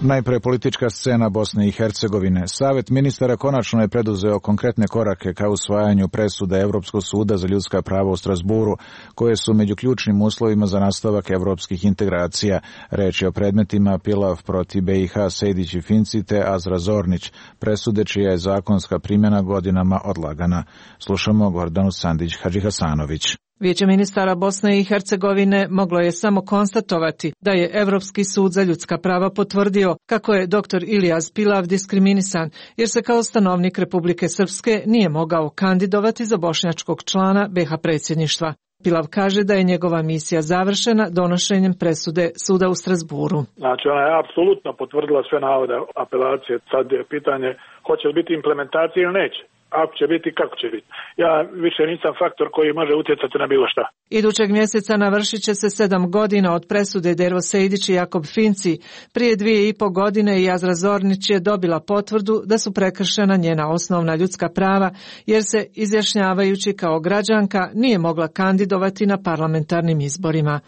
Speaker 2: Najpre politička scena Bosne i Hercegovine. Savet ministara konačno je preduzeo konkretne korake ka usvajanju presude Evropskog suda za ljudska prava u Strasburu, koje su među ključnim uslovima za nastavak evropskih integracija. Reč je o predmetima Pilav protiv B i H, Sejdić i Finci te Azra Zornić, presude čija je zakonska primjena godinama odlagana. Slušamo Gordanu Sandić Hadžihasanović.
Speaker 9: Vijeće ministara Bosne i Hercegovine moglo je samo konstatovati da je Evropski sud za ljudska prava potvrdio kako je doktor Ilijaz Pilav diskriminisan, jer se kao stanovnik Republike Srpske nije mogao kandidovati za bošnjačkog člana B i H predsjedništva. Pilav kaže da je njegova misija završena donošenjem presude suda u Strasburu.
Speaker 11: Znači, ona je apsolutno potvrdila sve navode apelacije. Sad je pitanje hoće li biti implementacija ili neće. Ako će biti, kako će biti. Ja više nisam faktor koji može utjecati na bilo šta.
Speaker 9: Idućeg mjeseca navršit će se sedam godina od presude Dervo Sejdić i Jakob Finci. Prije dvije i po godine i Azra Zornić je dobila potvrdu da su prekršena njena osnovna ljudska prava, jer se, izjašnjavajući kao građanka, nije mogla kandidovati na parlamentarnim izborima.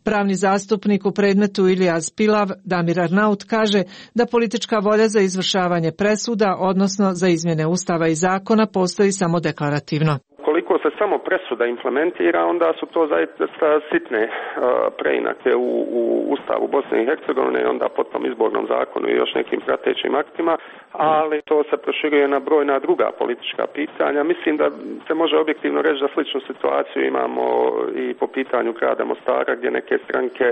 Speaker 9: Pravni zastupnik u predmetu Ilijaz Pilav, Damir Arnaut, kaže da politička volja za izvršavanje presuda, odnosno za izmjene ustava i zakona, postoji samo deklarativno.
Speaker 12: Koliko se samo presuda implementira, onda su to zaista sitne uh, preinake u, u Ustavu Bosne i Hercegovine i onda potom izbornom zakonu i još nekim pratećim aktima, ali to se proširuje na brojna druga politička pitanja. Mislim da se može objektivno reći da sličnu situaciju imamo i po pitanju grada Mostara, gdje neke stranke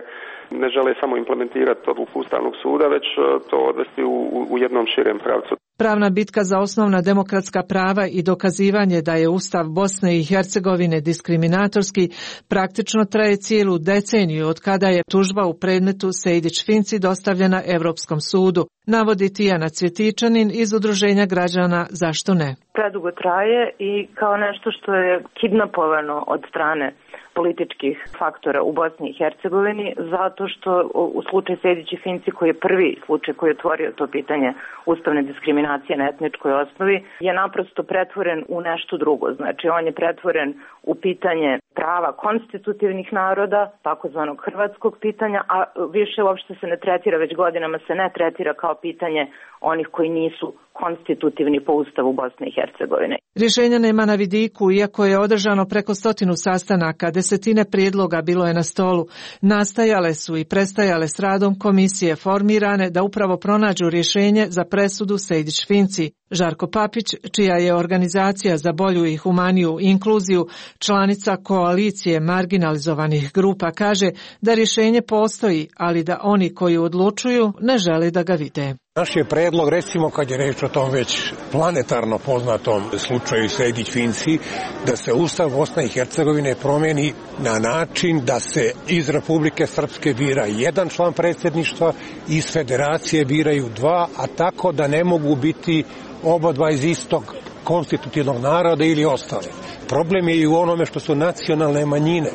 Speaker 12: ne žele samo implementirati odluku Ustavnog suda, već to odvesti u, u jednom širem pravcu.
Speaker 9: Pravna bitka za osnovna demokratska prava i dokazivanje da je Ustav Bosne i Hercegovine diskriminatorski praktično traje cijelu deceniju od kada je tužba u predmetu Sejdić-Finci dostavljena Europskom sudu, navodi Tijana Cvjetičanin iz Udruženja građana Zašto ne?
Speaker 14: Predugo traje i kao nešto što je kidnapovano od strane političkih faktora u Bosni i Hercegovini, zato što u slučaju Sejdić i Finci, koji je prvi slučaj koji je otvorio to pitanje ustavne diskriminacije na etničkoj osnovi, je naprosto pretvoren u nešto drugo. Znači, on je pretvoren u pitanje prava konstitutivnih naroda, takozvanog hrvatskog pitanja, a više uopšte se ne tretira, već godinama se ne tretira kao pitanje onih koji nisu konstitutivni po Ustavu Bosne i Hercegovine.
Speaker 9: Rješenja nema na vidiku, iako je održano preko stotinu sastanaka, desetine prijedloga bilo je na stolu. Nastajale su i prestajale s radom komisije formirane da upravo pronađu rješenje za presudu Sejdić-Finci. Žarko Papić, čija je organizacija za bolju i humaniju inkluziju članica koalicije marginalizovanih grupa, kaže da rješenje postoji, ali da oni koji odlučuju ne žele da ga vide.
Speaker 5: Naš je predlog, recimo kad je reč o tom već planetarno poznatom slučaju Sejdić-Finci, da se Ustav Bosne i Hercegovine promijeni na način da se iz Republike Srpske bira jedan član predsjedništva, iz Federacije biraju dva, a tako da ne mogu biti oba dva iz istog konstitutivnog naroda ili ostale. Problem je i u onome što su nacionalne manjine.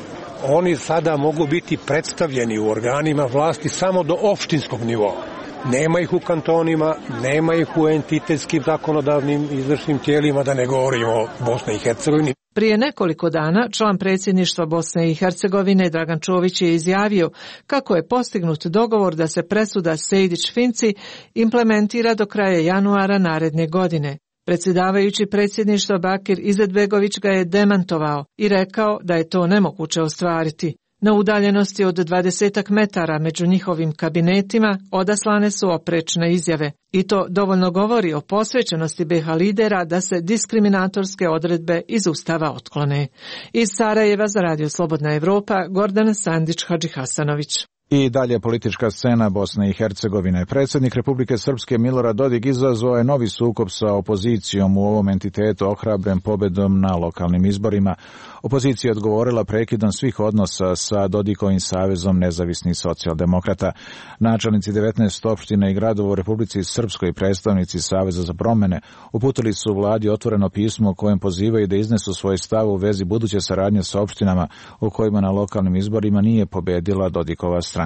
Speaker 5: Oni sada mogu biti predstavljeni u organima vlasti samo do opštinskog nivoa. Nema ih u kantonima, nema ih u entitetskim zakonodavnim izvršnim tijelima, da ne govorimo o Bosni i Hercegovini.
Speaker 9: Prije nekoliko dana član predsjedništva Bosne i Hercegovine Dragan Čović je izjavio kako je postignut dogovor da se presuda Sejdić-Finci implementira do kraja januara naredne godine. Predsjedavajući predsjedništva Bakir Izetbegović ga je demantovao i rekao da je to nemoguće ostvariti. Na udaljenosti od dvadesetak metara među njihovim kabinetima odaslane su oprečne izjave i to dovoljno govori o posvećenosti be ha lidera da se diskriminatorske odredbe iz Ustava otklone. Iz Sarajeva za Radio Slobodna Evropa, Gordana Sandić Hadžihasanović.
Speaker 2: I dalje politička scena Bosne i Hercegovine. Predsjednik Republike Srpske Milorad Dodik izazvao je novi sukob sa opozicijom u ovom entitetu ohrabren pobedom na lokalnim izborima. Opozicija je odgovorila prekidom svih odnosa sa Dodikovim savezom nezavisnih socijaldemokrata. Načelnici devetnaest opština i gradova u Republici Srpskoj i predstavnici Saveza za promjene uputili su vladi otvoreno pismo u kojem pozivaju da iznesu svoj stav u vezi buduće saradnje sa opštinama u kojima na lokalnim izborima nije pobedila Dodikova stranka.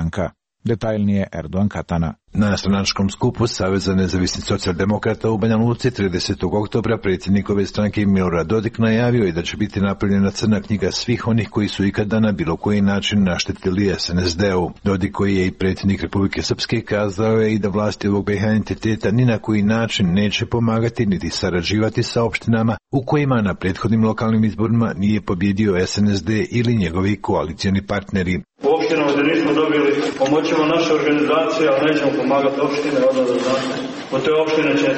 Speaker 2: Detaljnije Erdogan Katana.
Speaker 15: Na stranačkom skupu Saveza nezavisnih socijaldemokrata u Banja Luci tridesetog oktobra predsjednikove stranke Milorad Dodik najavio je da će biti napravljena crna knjiga svih onih koji su ikada na bilo koji način naštetili es en es de u. Dodik, koji je i predsjednik Republike Srpske, kazao je i da vlasti ovog be ha entiteta ni na koji način neće pomagati niti sarađivati sa opštinama u kojima na prethodnim lokalnim izborima nije pobjedio es en es de ili njegovi koalicijani partneri.
Speaker 16: U opštinama gdje nismo dobili pomoćemo naše organizacije, ali nećemo pomagati opštine, odnosno da znate. Od te opštine će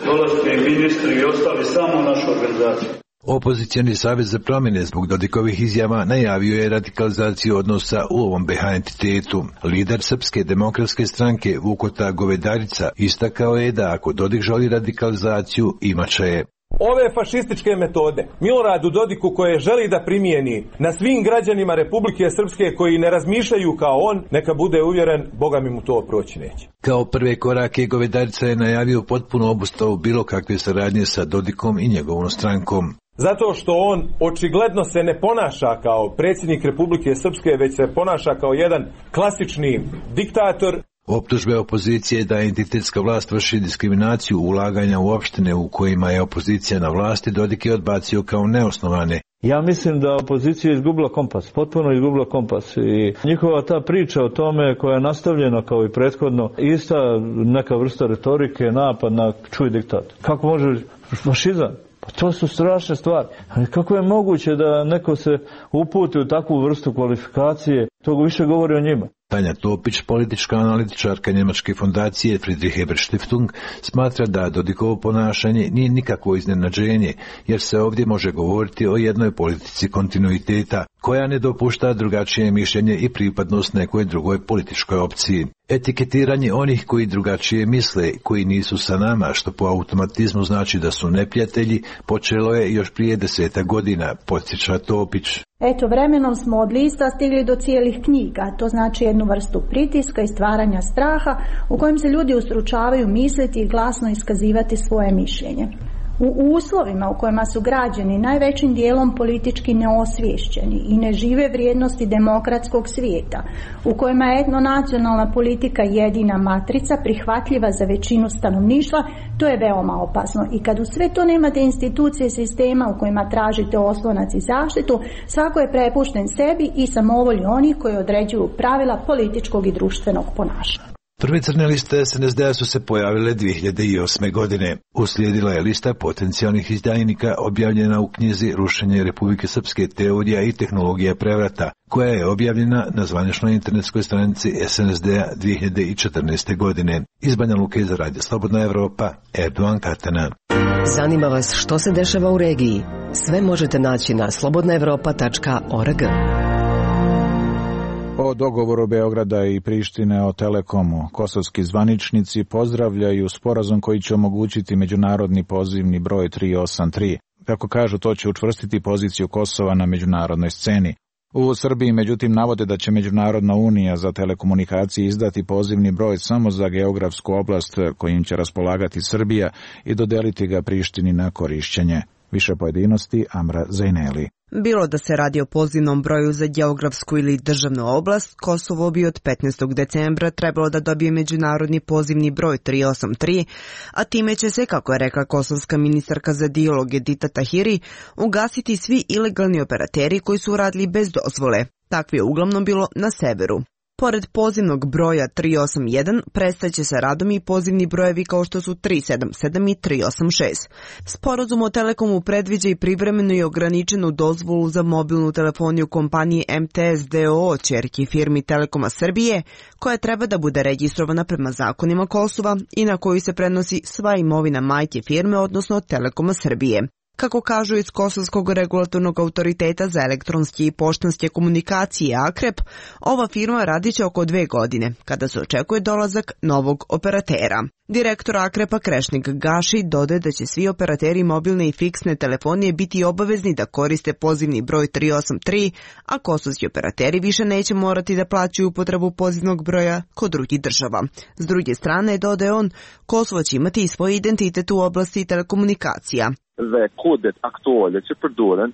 Speaker 16: dolaziti ministri i ostali samo našu organizaciju.
Speaker 15: Opozicijani savez za promjene zbog Dodikovih izjava najavio je radikalizaciju odnosa u ovom be ha entitetu. Lider Srpske demokratske stranke Vukota Govedarica istakao je da ako Dodik želi radikalizaciju, imat će je.
Speaker 18: Ove fašističke metode Miloradu Dodiku koje želi da primijeni na svim građanima Republike Srpske koji ne razmišljaju kao on, neka bude uvjeren, Boga mi mu to proći neće.
Speaker 15: Kao prve korake Govedarica je najavio potpuno obustavu bilo kakve saradnje sa Dodikom i njegovom strankom.
Speaker 18: Zato što on očigledno se ne ponaša kao predsjednik Republike Srpske, već se ponaša kao jedan klasični diktator.
Speaker 15: Optužbe opozicije da entitetska vlast vrši diskriminaciju ulaganja u opštine u kojima je opozicija na vlasti Dodik je odbacio kao neosnovane.
Speaker 19: Ja mislim da opozicija je izgubila kompas, potpuno izgubila kompas i njihova ta priča o tome koja je nastavljena kao i prethodno, ista neka vrsta retorike, napad na čuj diktat. Kako može fašizam? Pa to su strašne stvari. Ali kako je moguće da neko se uputi u takvu vrstu kvalifikacije, to više govori o njima.
Speaker 15: Tanja Topić, politička analitičarka njemačke fondacije Friedrich Ebert Stiftung, smatra da Dodikovo ponašanje nije nikakvo iznenađenje, jer se ovdje može govoriti o jednoj politici kontinuiteta, koja ne dopušta drugačije mišljenje i pripadnost nekoj drugoj političkoj opciji. Etiketiranje onih koji drugačije misle, koji nisu sa nama, što po automatizmu znači da su neprijatelji, počelo je još prije deseta godina, podsjeća Topić.
Speaker 3: Eto, vremenom smo od lista stigli do cijelih knjiga, to znači jednu vrstu pritiska i stvaranja straha u kojem se ljudi ustručavaju misliti i glasno iskazivati svoje mišljenje. U uslovima u kojima su građani najvećim dijelom politički neosviješćeni i ne žive vrijednosti demokratskog svijeta, u kojima je etnonacionalna politika jedina matrica prihvatljiva za većinu stanovništva, to je veoma opasno. I kad u sve to nemate institucije sistema u kojima tražite oslonac i zaštitu, svako je prepušten sebi i samovolji onih koji određuju pravila političkog i društvenog ponašanja.
Speaker 15: Prve crne liste es en es de su se pojavile dvije hiljade osme. godine. Uslijedila je lista potencijalnih izdajnika objavljena u knjizi Rušenje Republike Srpske, teorija i tehnologija prevrata, koja je objavljena na zvaničnoj internetskoj stranici es en es de-a dvije hiljade četrnaeste. godine. Iz Banja Luke za Radio Slobodna Evropa, Erdogan Katana.
Speaker 13: Zanima vas što se dešava u regiji? Sve možete naći na slobodna evropa tačka org.
Speaker 2: O dogovoru Beograda i Prištine o Telekomu kosovski zvaničnici pozdravljaju sporazum koji će omogućiti međunarodni pozivni broj tri osam tri. Kako kažu, to će učvrstiti poziciju Kosova na međunarodnoj sceni. U Srbiji, međutim, navode da će Međunarodna unija za telekomunikacije izdati pozivni broj samo za geografsku oblast kojim će raspolagati Srbija i dodeliti ga Prištini na korišćenje. Više pojedinosti Amra Zajneli.
Speaker 4: Bilo da se radi o pozivnom broju za geografsku ili državnu oblast, Kosovo bi od petnaestog decembra trebalo da dobije međunarodni pozivni broj tri osam tri, a time će se, kako je rekla kosovska ministarka za dijalog Edita Tahiri, ugasiti svi ilegalni operateri koji su radili bez dozvole. Takvi je uglavnom bilo na severu. Pored pozivnog broja tri osam jedan, prestaće sa radom i pozivni brojevi kao što su tri sedam sedam i tri osam šest. Sporazum o Telekomu predviđa i privremenu i ograničenu dozvolu za mobilnu telefoniju kompanije M T S D O O, ćerki firmi Telekoma Srbije, koja treba da bude registrovana prema zakonima Kosova i na koju se prenosi sva imovina majke firme, odnosno Telekoma Srbije. Kako kažu iz Kosovskog regulatornog autoriteta za elektronske i poštanske komunikacije AKREP, ova firma radit će oko dve godine, kada se očekuje dolazak novog operatera. Direktor AKREP-a Krešnik Gaši dodaje da će svi operateri mobilne i fiksne telefonije biti obavezni da koriste pozivni broj tri osam tri, a kosovski operateri više neće morati da plaćaju upotrebu pozivnog broja kod drugih država. S druge strane, dodaje on, Kosovo će imati i svoj identitet u oblasti telekomunikacija.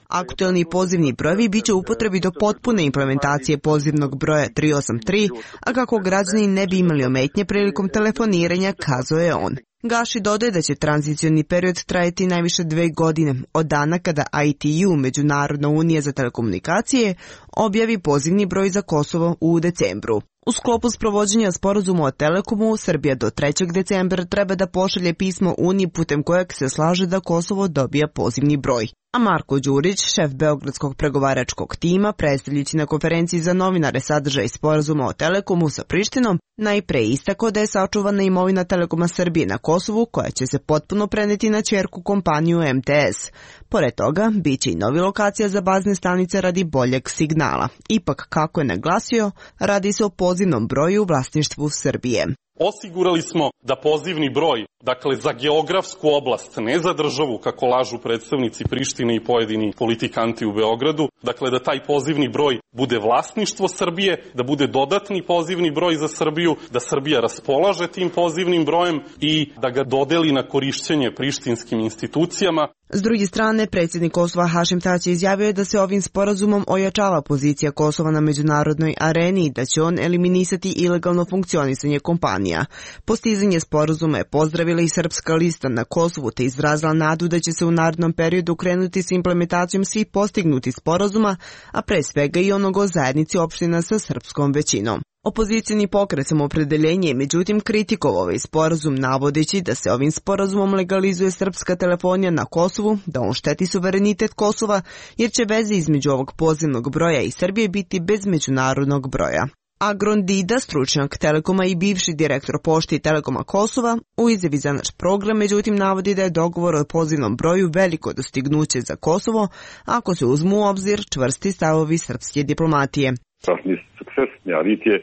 Speaker 4: Aktuelni pozivni brojevi bit će u upotrebi do potpune implementacije pozivnog broja tri osam tri, a kako građani ne bi imali ometnje prilikom telefoniranja, kazao je on. Gaši dodaje da će tranzicioni period trajati najviše dve godine, od dana kada I T U, Međunarodna unija za telekomunikacije, objavi pozivni broj za Kosovo u decembru. U sklopu sprovođenja sporazuma o Telekomu, Srbija do trećeg decembra treba da pošalje pismo Uniji putem kojeg se slaže da Kosovo dobija pozivni broj. A Marko Đurić, šef Beogradskog pregovaračkog tima, predstavljajući na konferenciji za novinare sadržaj sporazuma o Telekomu sa Prištinom, najpre istakao da je sačuvana imovina Telekoma Srbije na Kosovu, koja će se potpuno preneti na ćerku kompaniju M T S. Pored toga, bit će i novi lokacija za bazne stanice radi boljeg signala. Ipak, kako je naglasio, radi se o pozivnom broju u vlasništvu Srbije.
Speaker 7: Osigurali smo da pozivni broj, dakle za geografsku oblast, ne za državu, kako lažu predstavnici Prištine i pojedini politikanti u Beogradu, dakle da taj pozivni broj bude vlasništvo Srbije, da bude dodatni pozivni broj za Srbiju, da Srbija raspolaže tim pozivnim brojem i da ga dodeli na korišćenje prištinskim institucijama.
Speaker 4: S druge strane, predsjednik Kosova Hašim Tači izjavio je da se ovim sporazumom ojačava pozicija Kosova na međunarodnoj areni i da će on eliminisati ilegalno funkcionisanje kompanija. Postizanje sporazuma je pozdravila i Srpska lista na Kosovu te izrazila nadu da će se u narednom periodu krenuti s implementacijom svih postignutih sporazuma, a pre svega i onog o zajednici opština sa srpskom većinom. Opozicijni pokret Samoopredeljenje je međutim kritikovao ovaj sporazum navodeći da se ovim sporazumom legalizuje srpska telefonija na Kosovu, da on šteti suverenitet Kosova, jer će veze između ovog pozivnog broja i Srbije biti bez međunarodnog broja. Agron Dida, stručnjak Telekoma i bivši direktor pošte i Telekoma Kosova, u izjavi za naš program međutim navodi da je dogovor o pozivnom broju veliko dostignuće za Kosovo ako se uzmu u obzir čvrsti stavovi srpske diplomatije.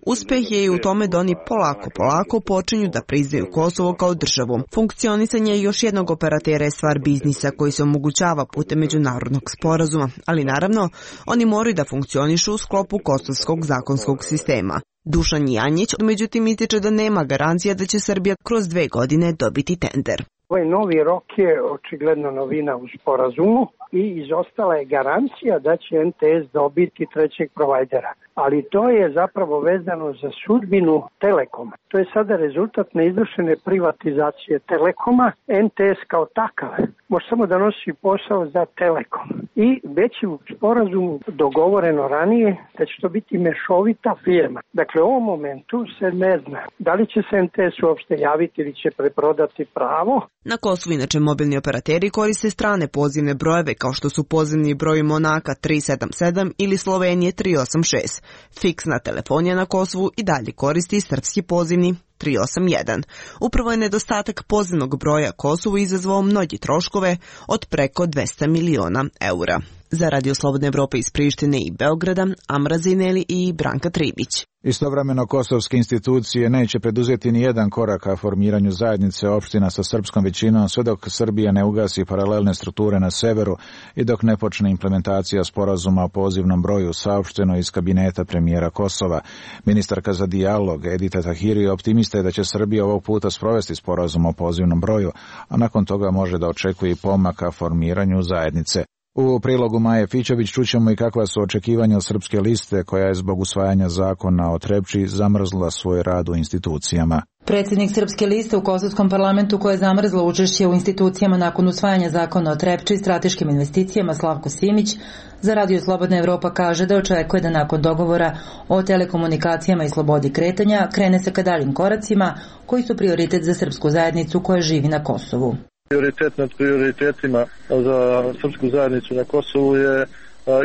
Speaker 4: Uspeh je i u tome da oni polako, polako počinju da priznaju Kosovo kao državu. Funkcionisanje još jednog operatera je stvar biznisa koji se omogućava putem međunarodnog sporazuma, ali naravno oni moraju da funkcionišu u sklopu kosovskog zakonskog sistema. Dušan Janjić međutim ističe da nema garancija da će Srbija kroz dve godine dobiti tender.
Speaker 8: Ovaj novi rok je očigledno novina u sporazumu i izostala je garancija da će M T S dobiti trećeg provajdera. Ali to je zapravo vezano za sudbinu Telekoma. To je sada rezultat neizvršene privatizacije Telekoma. M T S kao takav može samo da nosi posao za Telekom. I već je u sporazumu dogovoreno ranije da će to biti mešovita firma. Dakle, u ovom momentu se ne zna da li će se M T S uopšte javiti ili će preprodati pravo.
Speaker 4: Na Kosovu inače mobilni operateri koriste strane pozivne brojeve kao što su pozivni broj Monaka tri sedam sedam ili Slovenije tri osam šest. Fiksna telefonija na Kosovu i dalje koristi srpski pozivni tri osam jedan. Upravo je nedostatak pozivnog broja Kosovu izazvao mnogi troškove od preko dvesta miliona eura. Za Radio Slobodne Evrope iz Prištine i Beograda, Amra Zineli i Branka Tribić.
Speaker 2: Istovremeno kosovske institucije neće preduzeti ni jedan korak ka formiranju zajednice opština sa srpskom većinom sve dok Srbija ne ugasi paralelne strukture na severu i dok ne počne implementacija sporazuma o pozivnom broju, saopšteno iz kabineta premijera Kosova. Ministarka za dijalog Edita Tahiri optimista je da će Srbija ovog puta sprovesti sporazum o pozivnom broju, a nakon toga može da očekuje pomak ka formiranju zajednice. U prilogu Maje Fićović čućemo i kakva su očekivanja od Srpske liste koja je zbog usvajanja zakona o Trepči zamrzla svoj rad u institucijama.
Speaker 10: Predsjednik Srpske liste u Kosovskom parlamentu koja je zamrzla učešće u institucijama nakon usvajanja zakona o Trepči i strateškim investicijama Slavko Simić za Radio Slobodna Evropa kaže da očekuje da nakon dogovora o telekomunikacijama i slobodi kretanja krene se ka daljim koracima koji su prioritet za srpsku zajednicu koja živi na Kosovu.
Speaker 17: Prioritet nad prioritetima za srpsku zajednicu na Kosovu je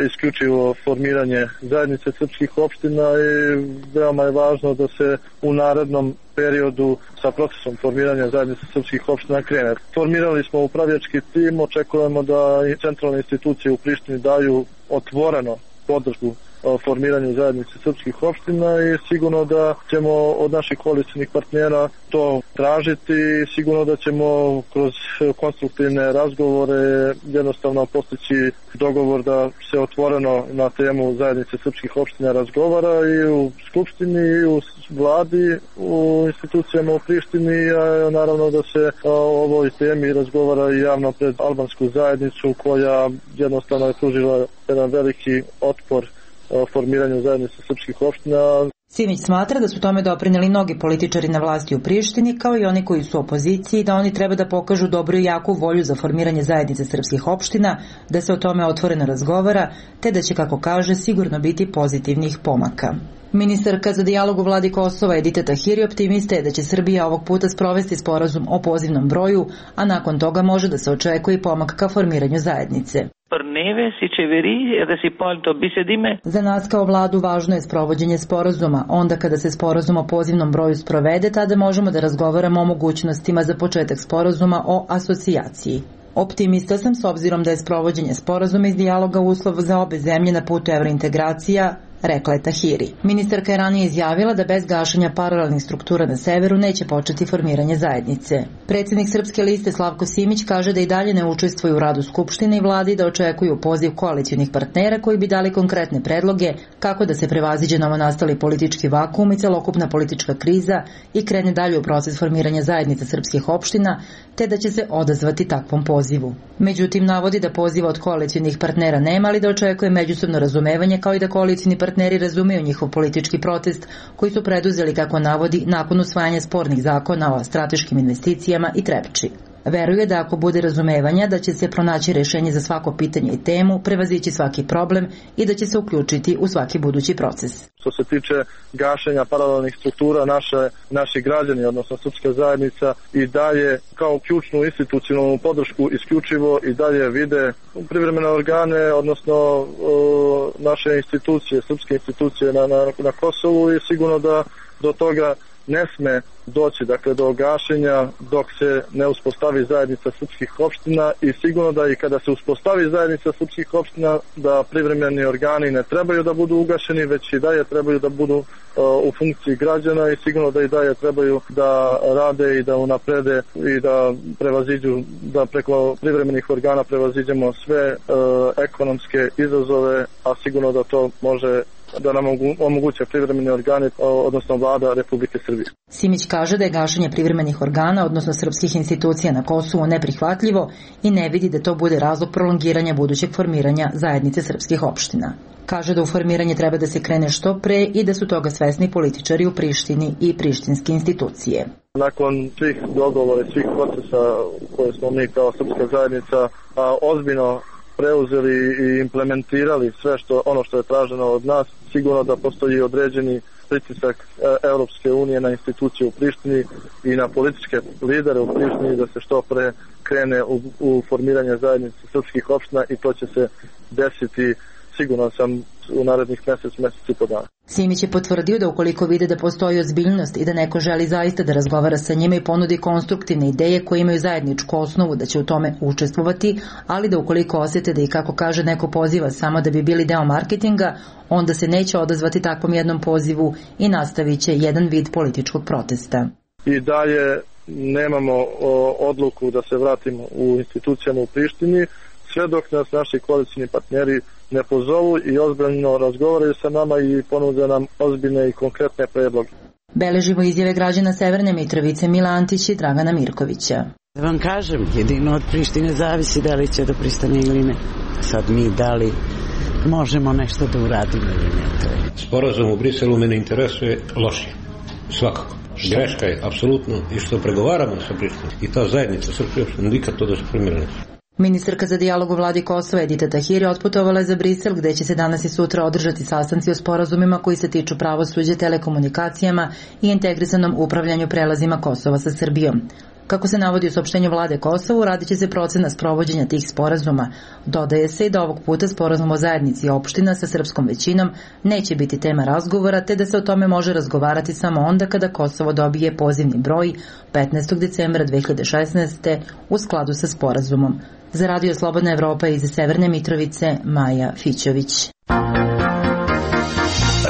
Speaker 17: isključivo formiranje zajednice srpskih opština i veoma je važno da se u narednom periodu sa procesom formiranja zajednice srpskih opština krene. Formirali smo upravljački tim, očekujemo da i centralne institucije u Prištini daju otvoreno podršku formiranju zajednice srpskih opština i sigurno da ćemo od naših koalicijnih partnera to tražiti i sigurno da ćemo kroz konstruktivne razgovore jednostavno postići dogovor da se otvoreno na temu zajednice srpskih opština razgovara i u Skupštini i u vladi, u institucijama u Prištini, a naravno da se o ovoj temi razgovara i javno pred albansku zajednicu koja jednostavno je pružila jedan veliki otpor o formiranju zajednice srpskih opština.
Speaker 10: Simić smatra da su tome doprineli mnogi političari na vlasti u Prištini, kao i oni koji su u opoziciji, da oni treba da pokažu dobru i jaku volju za formiranje zajednice srpskih opština, da se o tome otvoreno razgovara, te da će, kako kaže, sigurno biti pozitivnih pomaka. Ministarka za dijalog u vladi Kosova Edita Tahiri optimista je da će Srbija ovog puta sprovesti sporazum o pozivnom broju, a nakon toga može da se očekuje pomak ka formiranju zajednice. Za nas kao vladu važno je sprovođenje sporazuma. Onda kada se sporazum o pozivnom broju sprovede, tada možemo da razgovaramo o mogućnostima za početak sporazuma o asocijaciji. Optimista sam s obzirom da je sprovođenje sporazuma iz dijaloga uslov za obe zemlje na putu evrointegracija, rekla je Tahiri. Ministarka je ranije izjavila da bez gašenja paralelnih struktura na severu neće početi formiranje zajednice. Predsjednik Srpske liste Slavko Simić kaže da i dalje ne učestvuju u radu Skupštine i vladi, da očekuju poziv koalicionih partnera koji bi dali konkretne predloge kako da se prevaziđe novonastali politički vakuum i celokupna politička kriza i krene dalje u proces formiranja zajednice srpskih opština, te da će se odazvati takvom pozivu. Međutim, navodi da poziva od koalicionih partnera nema, ali da očekuje međusobno razumevanje kao i da koalicioni partneri razumeju njihov politički protest koji su preduzeli, kako navodi, nakon usvajanja spornih zakona o strateškim investicijama i Trepči. Veruje da ako bude razumevanja da će se pronaći rešenje za svako pitanje i temu, prevazići svaki problem i da će se uključiti u svaki budući proces.
Speaker 17: Što se tiče gašenja paralelnih struktura, naše, naši građani, odnosno srpska zajednica, i dalje kao ključnu institucionalnu podršku isključivo i dalje vide privremene organe, odnosno o, naše institucije, srpske institucije na, na, na Kosovu i sigurno da do toga ne sme doći, dakle, do gašenja dok se ne uspostavi zajednica srpskih opština i sigurno da i kada se uspostavi zajednica srpskih opština da privremeni organi ne trebaju da budu ugašeni, već i dalje trebaju da budu uh, u funkciji građana i sigurno da i dalje trebaju da rade i da unaprede i da prevaziđu, da preko privremenih organa prevaziđemo sve uh, ekonomske izazove, a sigurno da to može da nam omoguće privremeni organi, odnosno vlada Republike Srbije.
Speaker 10: Simić kaže da je gašenje privremenih organa, odnosno srpskih institucija na Kosovu, neprihvatljivo i ne vidi da to bude razlog prolongiranja budućeg formiranja zajednice srpskih opština. Kaže da u formiranje treba da se krene što pre i da su toga svesni političari u Prištini i prištinske institucije.
Speaker 17: Nakon svih dogovora i svih procesa koje smo mi kao srpska zajednica a, ozbiljno preuzeli i implementirali sve što ono što je traženo od nas, sigurno da postoji određeni pritisak Europske unije na institucije u Prištini i na političke lidere u Prištini da se što pre krene u, u formiranje zajednice srpskih opština i to će se desiti, sigurno sam, u narednih mjesec, mjesec i po dana.
Speaker 10: Simić je potvrdio da ukoliko vide da postoji ozbiljnost i da neko želi zaista da razgovara sa njima i ponudi konstruktivne ideje koje imaju zajedničku osnovu da će u tome učestvovati, ali da ukoliko osjete da i kako kaže neko poziva samo da bi bili deo marketinga, onda se neće odazvati takvom jednom pozivu i nastavit će jedan vid političkog protesta.
Speaker 17: I dalje nemamo o, odluku da se vratimo u institucijama u Prištini, sve dok nas naši koalicijni partneri ne pozovu i ozbiljno razgovaraju sa nama i ponude nam ozbiljne i konkretne predloge.
Speaker 10: Beležimo izjave građana Severne Mitrovice Mila Antić i Dragana Mirkovića.
Speaker 20: Da vam kažem, jedino od Prištine zavisi da li će da pristane ili ne. Sad mi da li možemo nešto da uradimo ili ne. To je.
Speaker 21: Sporazum u Briselu mene interesuje loše. Svakako. Greška je, apsolutno, i što pregovaramo sa Prištinom. I ta zajednica srpska opština nikad to da se primjera neće.
Speaker 10: Ministarka za dijalog u vladi Kosova Edita Tahiri otputovala je za Brisel, gde će se danas i sutra održati sastanci o sporazumima koji se tiču pravosuđa, telekomunikacijama i integrisanom upravljanju prelazima Kosova sa Srbijom. Kako se navodi u saopštenju vlade Kosovu, radit će se procena sprovođenja tih sporazuma. Dodaje se i da ovog puta sporazum o zajednici opština sa srpskom većinom neće biti tema razgovora, te da se o tome može razgovarati samo onda kada Kosovo dobije pozivni broj petnaestog decembra dve hiljade šesnaeste. u skladu sa sporazumom. Za Radio Slobodna Evropa iz Severne Mitrovice, Maja Fićović.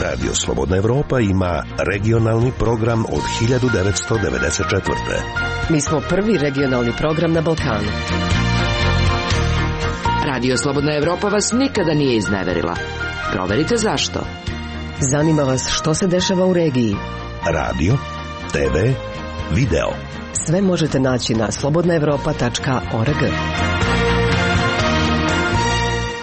Speaker 22: Radio Slobodna Evropa ima regionalni program od hiljadu devetsto devedeset četvrte.
Speaker 13: Mi smo prvi regionalni program na Balkanu. Radio Slobodna Evropa vas nikada nije izneverila. Proverite zašto. Zanima vas što se dešava u regiji.
Speaker 22: Radio, te ve, video.
Speaker 13: Sve možete naći na slobodna evropa tačka org.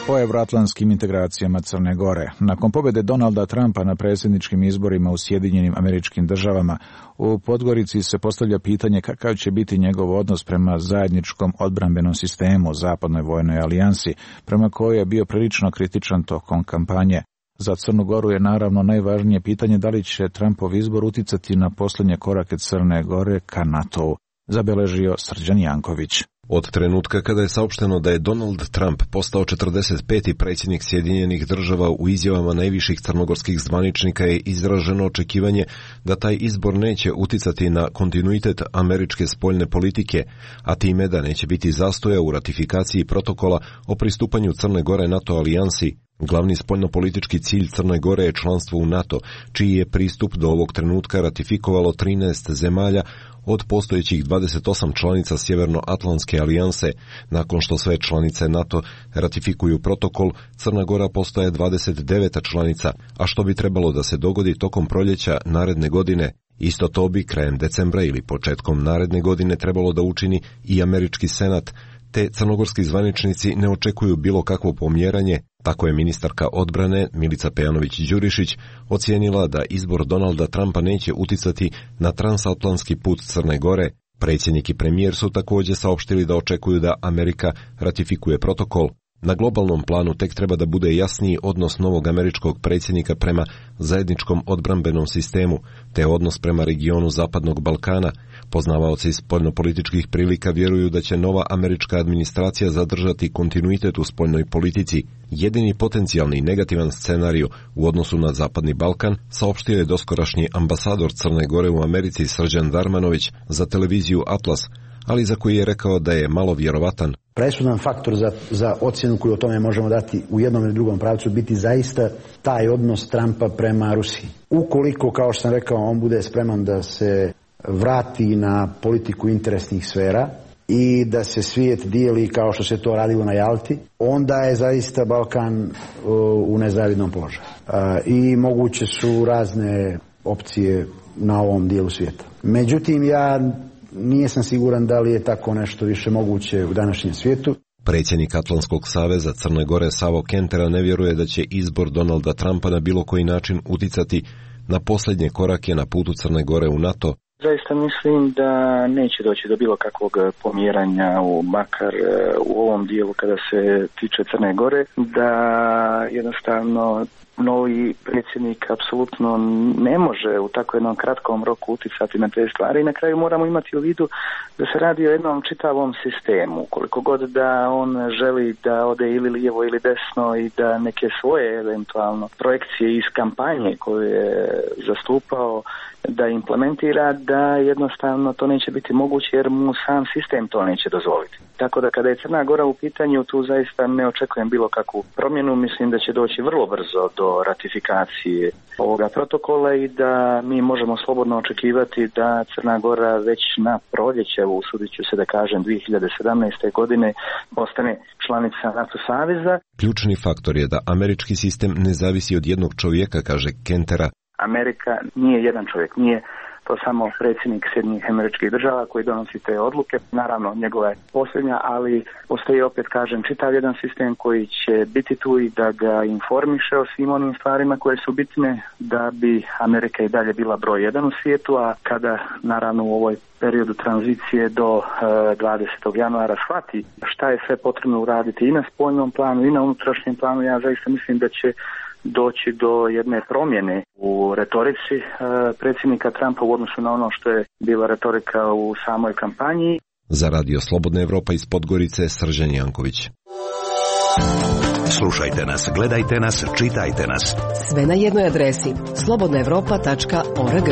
Speaker 2: O evroatlantskim integracijama Crne Gore. Nakon pobjede Donalda Trumpa na predsjedničkim izborima u Sjedinjenim Američkim Državama, u Podgorici se postavlja pitanje kakav će biti njegov odnos prema zajedničkom odbrambenom sistemu, zapadnoj vojnoj alijansi, prema kojoj je bio prilično kritičan tokom kampanje. Za Crnu Goru je naravno najvažnije pitanje da li će Trumpov izbor uticati na posljednje korake Crne Gore ka NATO-u, zabeležio Srđan Janković.
Speaker 23: Od trenutka kada je saopšteno da je Donald Trump postao četrdeset peti predsjednik Sjedinjenih Država, u izjavama najviših crnogorskih zvaničnika je izraženo očekivanje da taj izbor neće uticati na kontinuitet američke spoljne politike, a time da neće biti zastoja u ratifikaciji protokola o pristupanju Crne Gore NATO alijansi. Glavni spoljnopolitički cilj Crne Gore je članstvo u NATO, čiji je pristup do ovog trenutka ratifikovalo trinaest zemalja od postojećih dvadeset osam članica Sjevernoatlantske alijanse. Nakon što sve članice NATO ratifikuju protokol, Crna Gora postaje dvadeset deveta članica, a što bi trebalo da se dogodi tokom proljeća naredne godine. Isto to bi krajem decembra ili početkom naredne godine trebalo da učini i američki senat, te crnogorski zvaničnici ne očekuju bilo kakvo pomjeranje. Tako je ministarka odbrane Milica Pejanović-Đurišić ocijenila da izbor Donalda Trumpa neće uticati na transatlantski put Crne Gore. Predsjednik i premijer su također saopštili da očekuju da Amerika ratifikuje protokol. Na globalnom planu tek treba da bude jasniji odnos novog američkog predsjednika prema zajedničkom odbrambenom sistemu, te odnos prema regionu Zapadnog Balkana. Poznavaoci spoljnopolitičkih prilika vjeruju da će nova američka administracija zadržati kontinuitet u spoljnoj politici. Jedini potencijalni negativan scenarij u odnosu na Zapadni Balkan saopštio je doskorašnji ambasador Crne Gore u Americi Srđan Darmanović za televiziju Atlas, ali za koji je rekao da je malo vjerovatan.
Speaker 24: Presudan faktor za, za ocjenu koju o tome možemo dati u jednom ili drugom pravcu biti zaista taj odnos Trumpa prema Rusiji. Ukoliko, kao što sam rekao, on bude spreman da se vrati na politiku interesnih sfera i da se svijet dijeli kao što se to radilo na Jalti, onda je zaista Balkan u nezavidnom položaju. I moguće su razne opcije na ovom dijelu svijeta. Međutim, ja nisam siguran da li je tako nešto više moguće u današnjem svijetu.
Speaker 23: Predsjednik Atlantskog saveza Crne Gore Savo Kentera ne vjeruje da će izbor Donalda Trumpa na bilo koji način uticati na posljednje korake na putu Crne Gore u NATO.
Speaker 1: Zaista mislim da neće doći do bilo kakvog pomjeranja u makar u ovom dijelu kada se tiče Crne Gore, da jednostavno novi predsjednik apsolutno ne može u tako jednom kratkom roku uticati na te stvari i na kraju moramo imati u vidu da se radi o jednom čitavom sistemu. Koliko god da on želi da ode ili lijevo ili desno i da neke svoje eventualno projekcije iz kampanje koju je zastupao da implementira, da jednostavno to neće biti moguće jer mu sam sistem to neće dozvoliti. Tako da kada je Crna Gora u pitanju, tu zaista ne očekujem bilo kakvu promjenu, mislim da će doći vrlo brzo do ratifikacije ovoga protokola i da mi možemo slobodno očekivati da Crna Gora već na proljeće, usudit ću se da kažem dvije hiljade sedamnaeste. godine, postane članica NATO saveza.
Speaker 23: Ključni faktor je da američki sistem ne zavisi od jednog čovjeka, kaže Kentera.
Speaker 1: Amerika nije jedan čovjek, nije to samo predsjednik Sjedinjenih Američkih Država koji donosi te odluke. Naravno, njegova je posljednja, ali postoji, opet kažem, čitav jedan sistem koji će biti tu i da ga informiše o svim onim stvarima koje su bitne da bi Amerika i dalje bila broj jedan u svijetu, a kada naravno u ovoj periodu tranzicije do dvadesetog januara shvati šta je sve potrebno uraditi i na spoljnom planu i na unutrašnjem planu, ja zaista mislim da će doći do jedne promjene u retorici e, predsjednika Trumpa u odnosu na ono što je bila retorika u samoj kampanji.
Speaker 23: Za Radio Slobodna Evropa iz Podgorice, Srđan Janković.
Speaker 22: Slušajte nas, gledajte nas, čitajte nas.
Speaker 13: Sve na jednoj adresi slobodna evropa tačka org.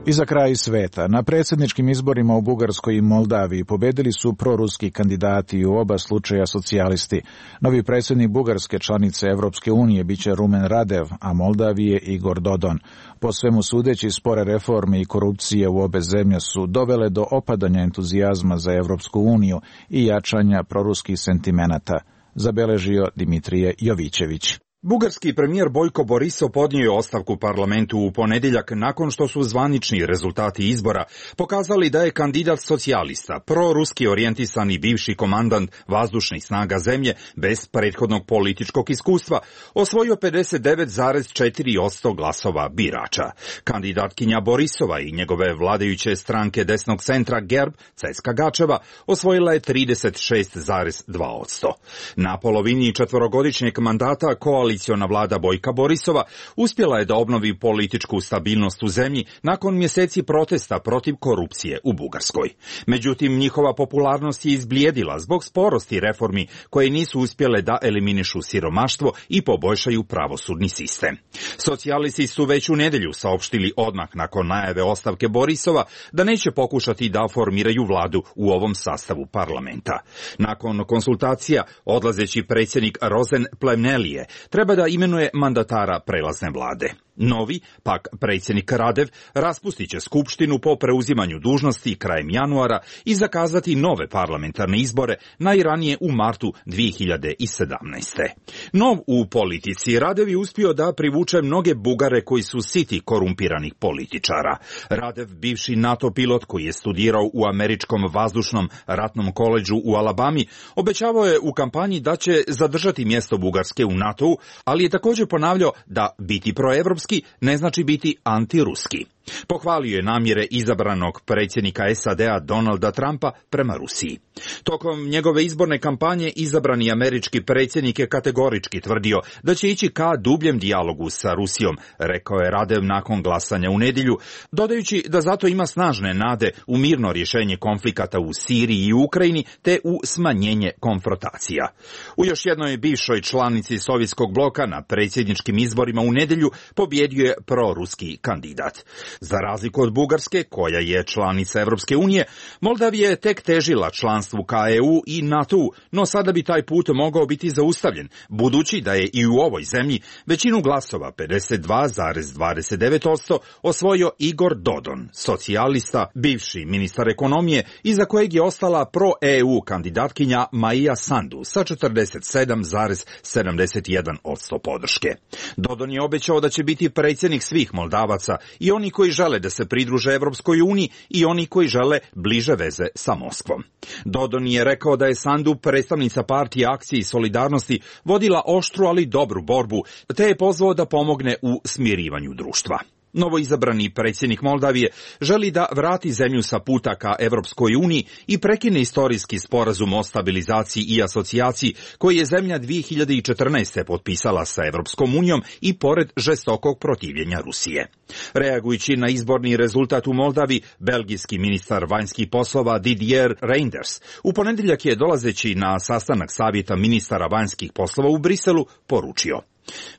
Speaker 2: I za kraj sveta. Na predsjedničkim izborima u Bugarskoj i Moldaviji pobedili su proruski kandidati i u oba slučaja socijalisti. Novi predsjednik Bugarske, članice Evropske unije, biće Rumen Radev, a Moldavije Igor Dodon. Po svemu sudeći, spore reforme i korupcije u obe zemlje su dovele do opadanja entuzijazma za Evropsku uniju i jačanja proruskih sentimenata, zabeležio Dimitrije Jovićević.
Speaker 6: Bugarski premijer Bojko Borisov podnio je ostavku parlamentu u ponedjeljak nakon što su zvanični rezultati izbora pokazali da je kandidat socijalista, proruski orijentisani bivši komandant vazdušnih snaga zemlje bez prethodnog političkog iskustva osvojio pedeset devet zarez četiri posto glasova birača. Kandidatkinja Borisova i njegove vladajuće stranke desnog centra Gerb, Ceska Gačeva, osvojila je trideset šest zarez dva posto. Na polovini četvorogodišnjeg mandata koalicija Koaliciona vlada Bojka Borisova uspjela je da obnovi političku stabilnost u zemlji nakon mjeseci protesta protiv korupcije u Bugarskoj. Međutim, njihova popularnost je izblijedila zbog sporosti reformi koje nisu uspjele da eliminišu siromaštvo i poboljšaju pravosudni sistem. Socijalisti su već u nedjelju saopštili odmah nakon najave ostavke Borisova da neće pokušati da formiraju vladu u ovom sastavu parlamenta. Nakon konsultacija, odlazeći predsjednik Rozen Plemnelije treba da imenuje mandatara prelazne vlade. Novi, pak predsjednik Radev, raspustit će skupštinu po preuzimanju dužnosti krajem januara i zakazati nove parlamentarne izbore najranije u martu dvije hiljade sedamnaeste. Nov u politici, Radev je uspio da privuče mnoge Bugare koji su siti korumpiranih političara. Radev, bivši NATO pilot koji je studirao u američkom vazdušnom ratnom koledžu u Alabami, obećavao je u kampanji da će zadržati mjesto Bugarske u NATO-u, ali je također ponavljao da biti proevropski ne znači biti antiruski. Pohvalio je namjere izabranog predsjednika S A D-a Donalda Trumpa prema Rusiji. Tokom njegove izborne kampanje izabrani američki predsjednik je kategorički tvrdio da će ići ka dubljem dijalogu sa Rusijom, rekao je Radev nakon glasanja u nedjelju, dodajući da zato ima snažne nade u mirno rješenje konflikata u Siriji i Ukrajini te u smanjenje konfrontacija. U još jednoj bivšoj članici sovjetskog bloka na predsjedničkim izborima u nedjelju pobjedio je proruski kandidat. Za razliku od Bugarske, koja je članica Evropske unije, Moldavija je tek težila članstvu ka E U i NATO-u, no sada bi taj put mogao biti zaustavljen, budući da je i u ovoj zemlji većinu glasova, pedeset dva zarez dvadeset devet posto, osvojio Igor Dodon, socijalista, bivši ministar ekonomije, iza kojeg je ostala pro-E U kandidatkinja Maja Sandu sa četrdeset sedam zarez sedamdeset jedan posto podrške. Dodon je obećao da će biti predsjednik svih Moldavaca, i oni koji žele da se pridruže Evropskoj uniji i oni koji žele bliže veze sa Moskvom. Dodon je rekao da je Sandu, predstavnica partije Akcije i solidarnosti, vodila oštru ali dobru borbu, te je pozvao da pomogne u smirivanju društva. Novoizabrani predsjednik Moldavije želi da vrati zemlju sa puta ka Evropskoj uniji i prekine istorijski sporazum o stabilizaciji i asocijaciji koji je zemlja dvije hiljade četrnaeste. potpisala sa Evropskom unijom i pored žestokog protivljenja Rusije. Reagujući na izborni rezultat u Moldavi, belgijski ministar vanjskih poslova Didier Reynders u ponedjeljak je, dolazeći na sastanak savjeta ministara vanjskih poslova u Briselu, poručio: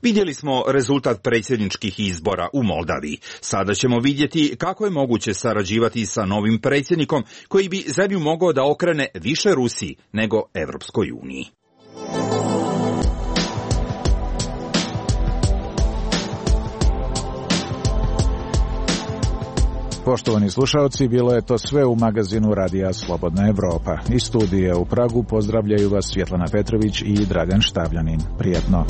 Speaker 6: vidjeli smo rezultat predsjedničkih izbora u Moldaviji. Sada ćemo vidjeti kako je moguće sarađivati sa novim predsjednikom koji bi zemlju mogao da okrene više Rusiji nego Evropskoj uniji.
Speaker 2: Poštovani slušalci, bilo je to sve u magazinu Radija Slobodna Evropa. Iz studija u Pragu pozdravljaju vas Svjetlana Petrović i Dragan Štavljanin. Prijetno.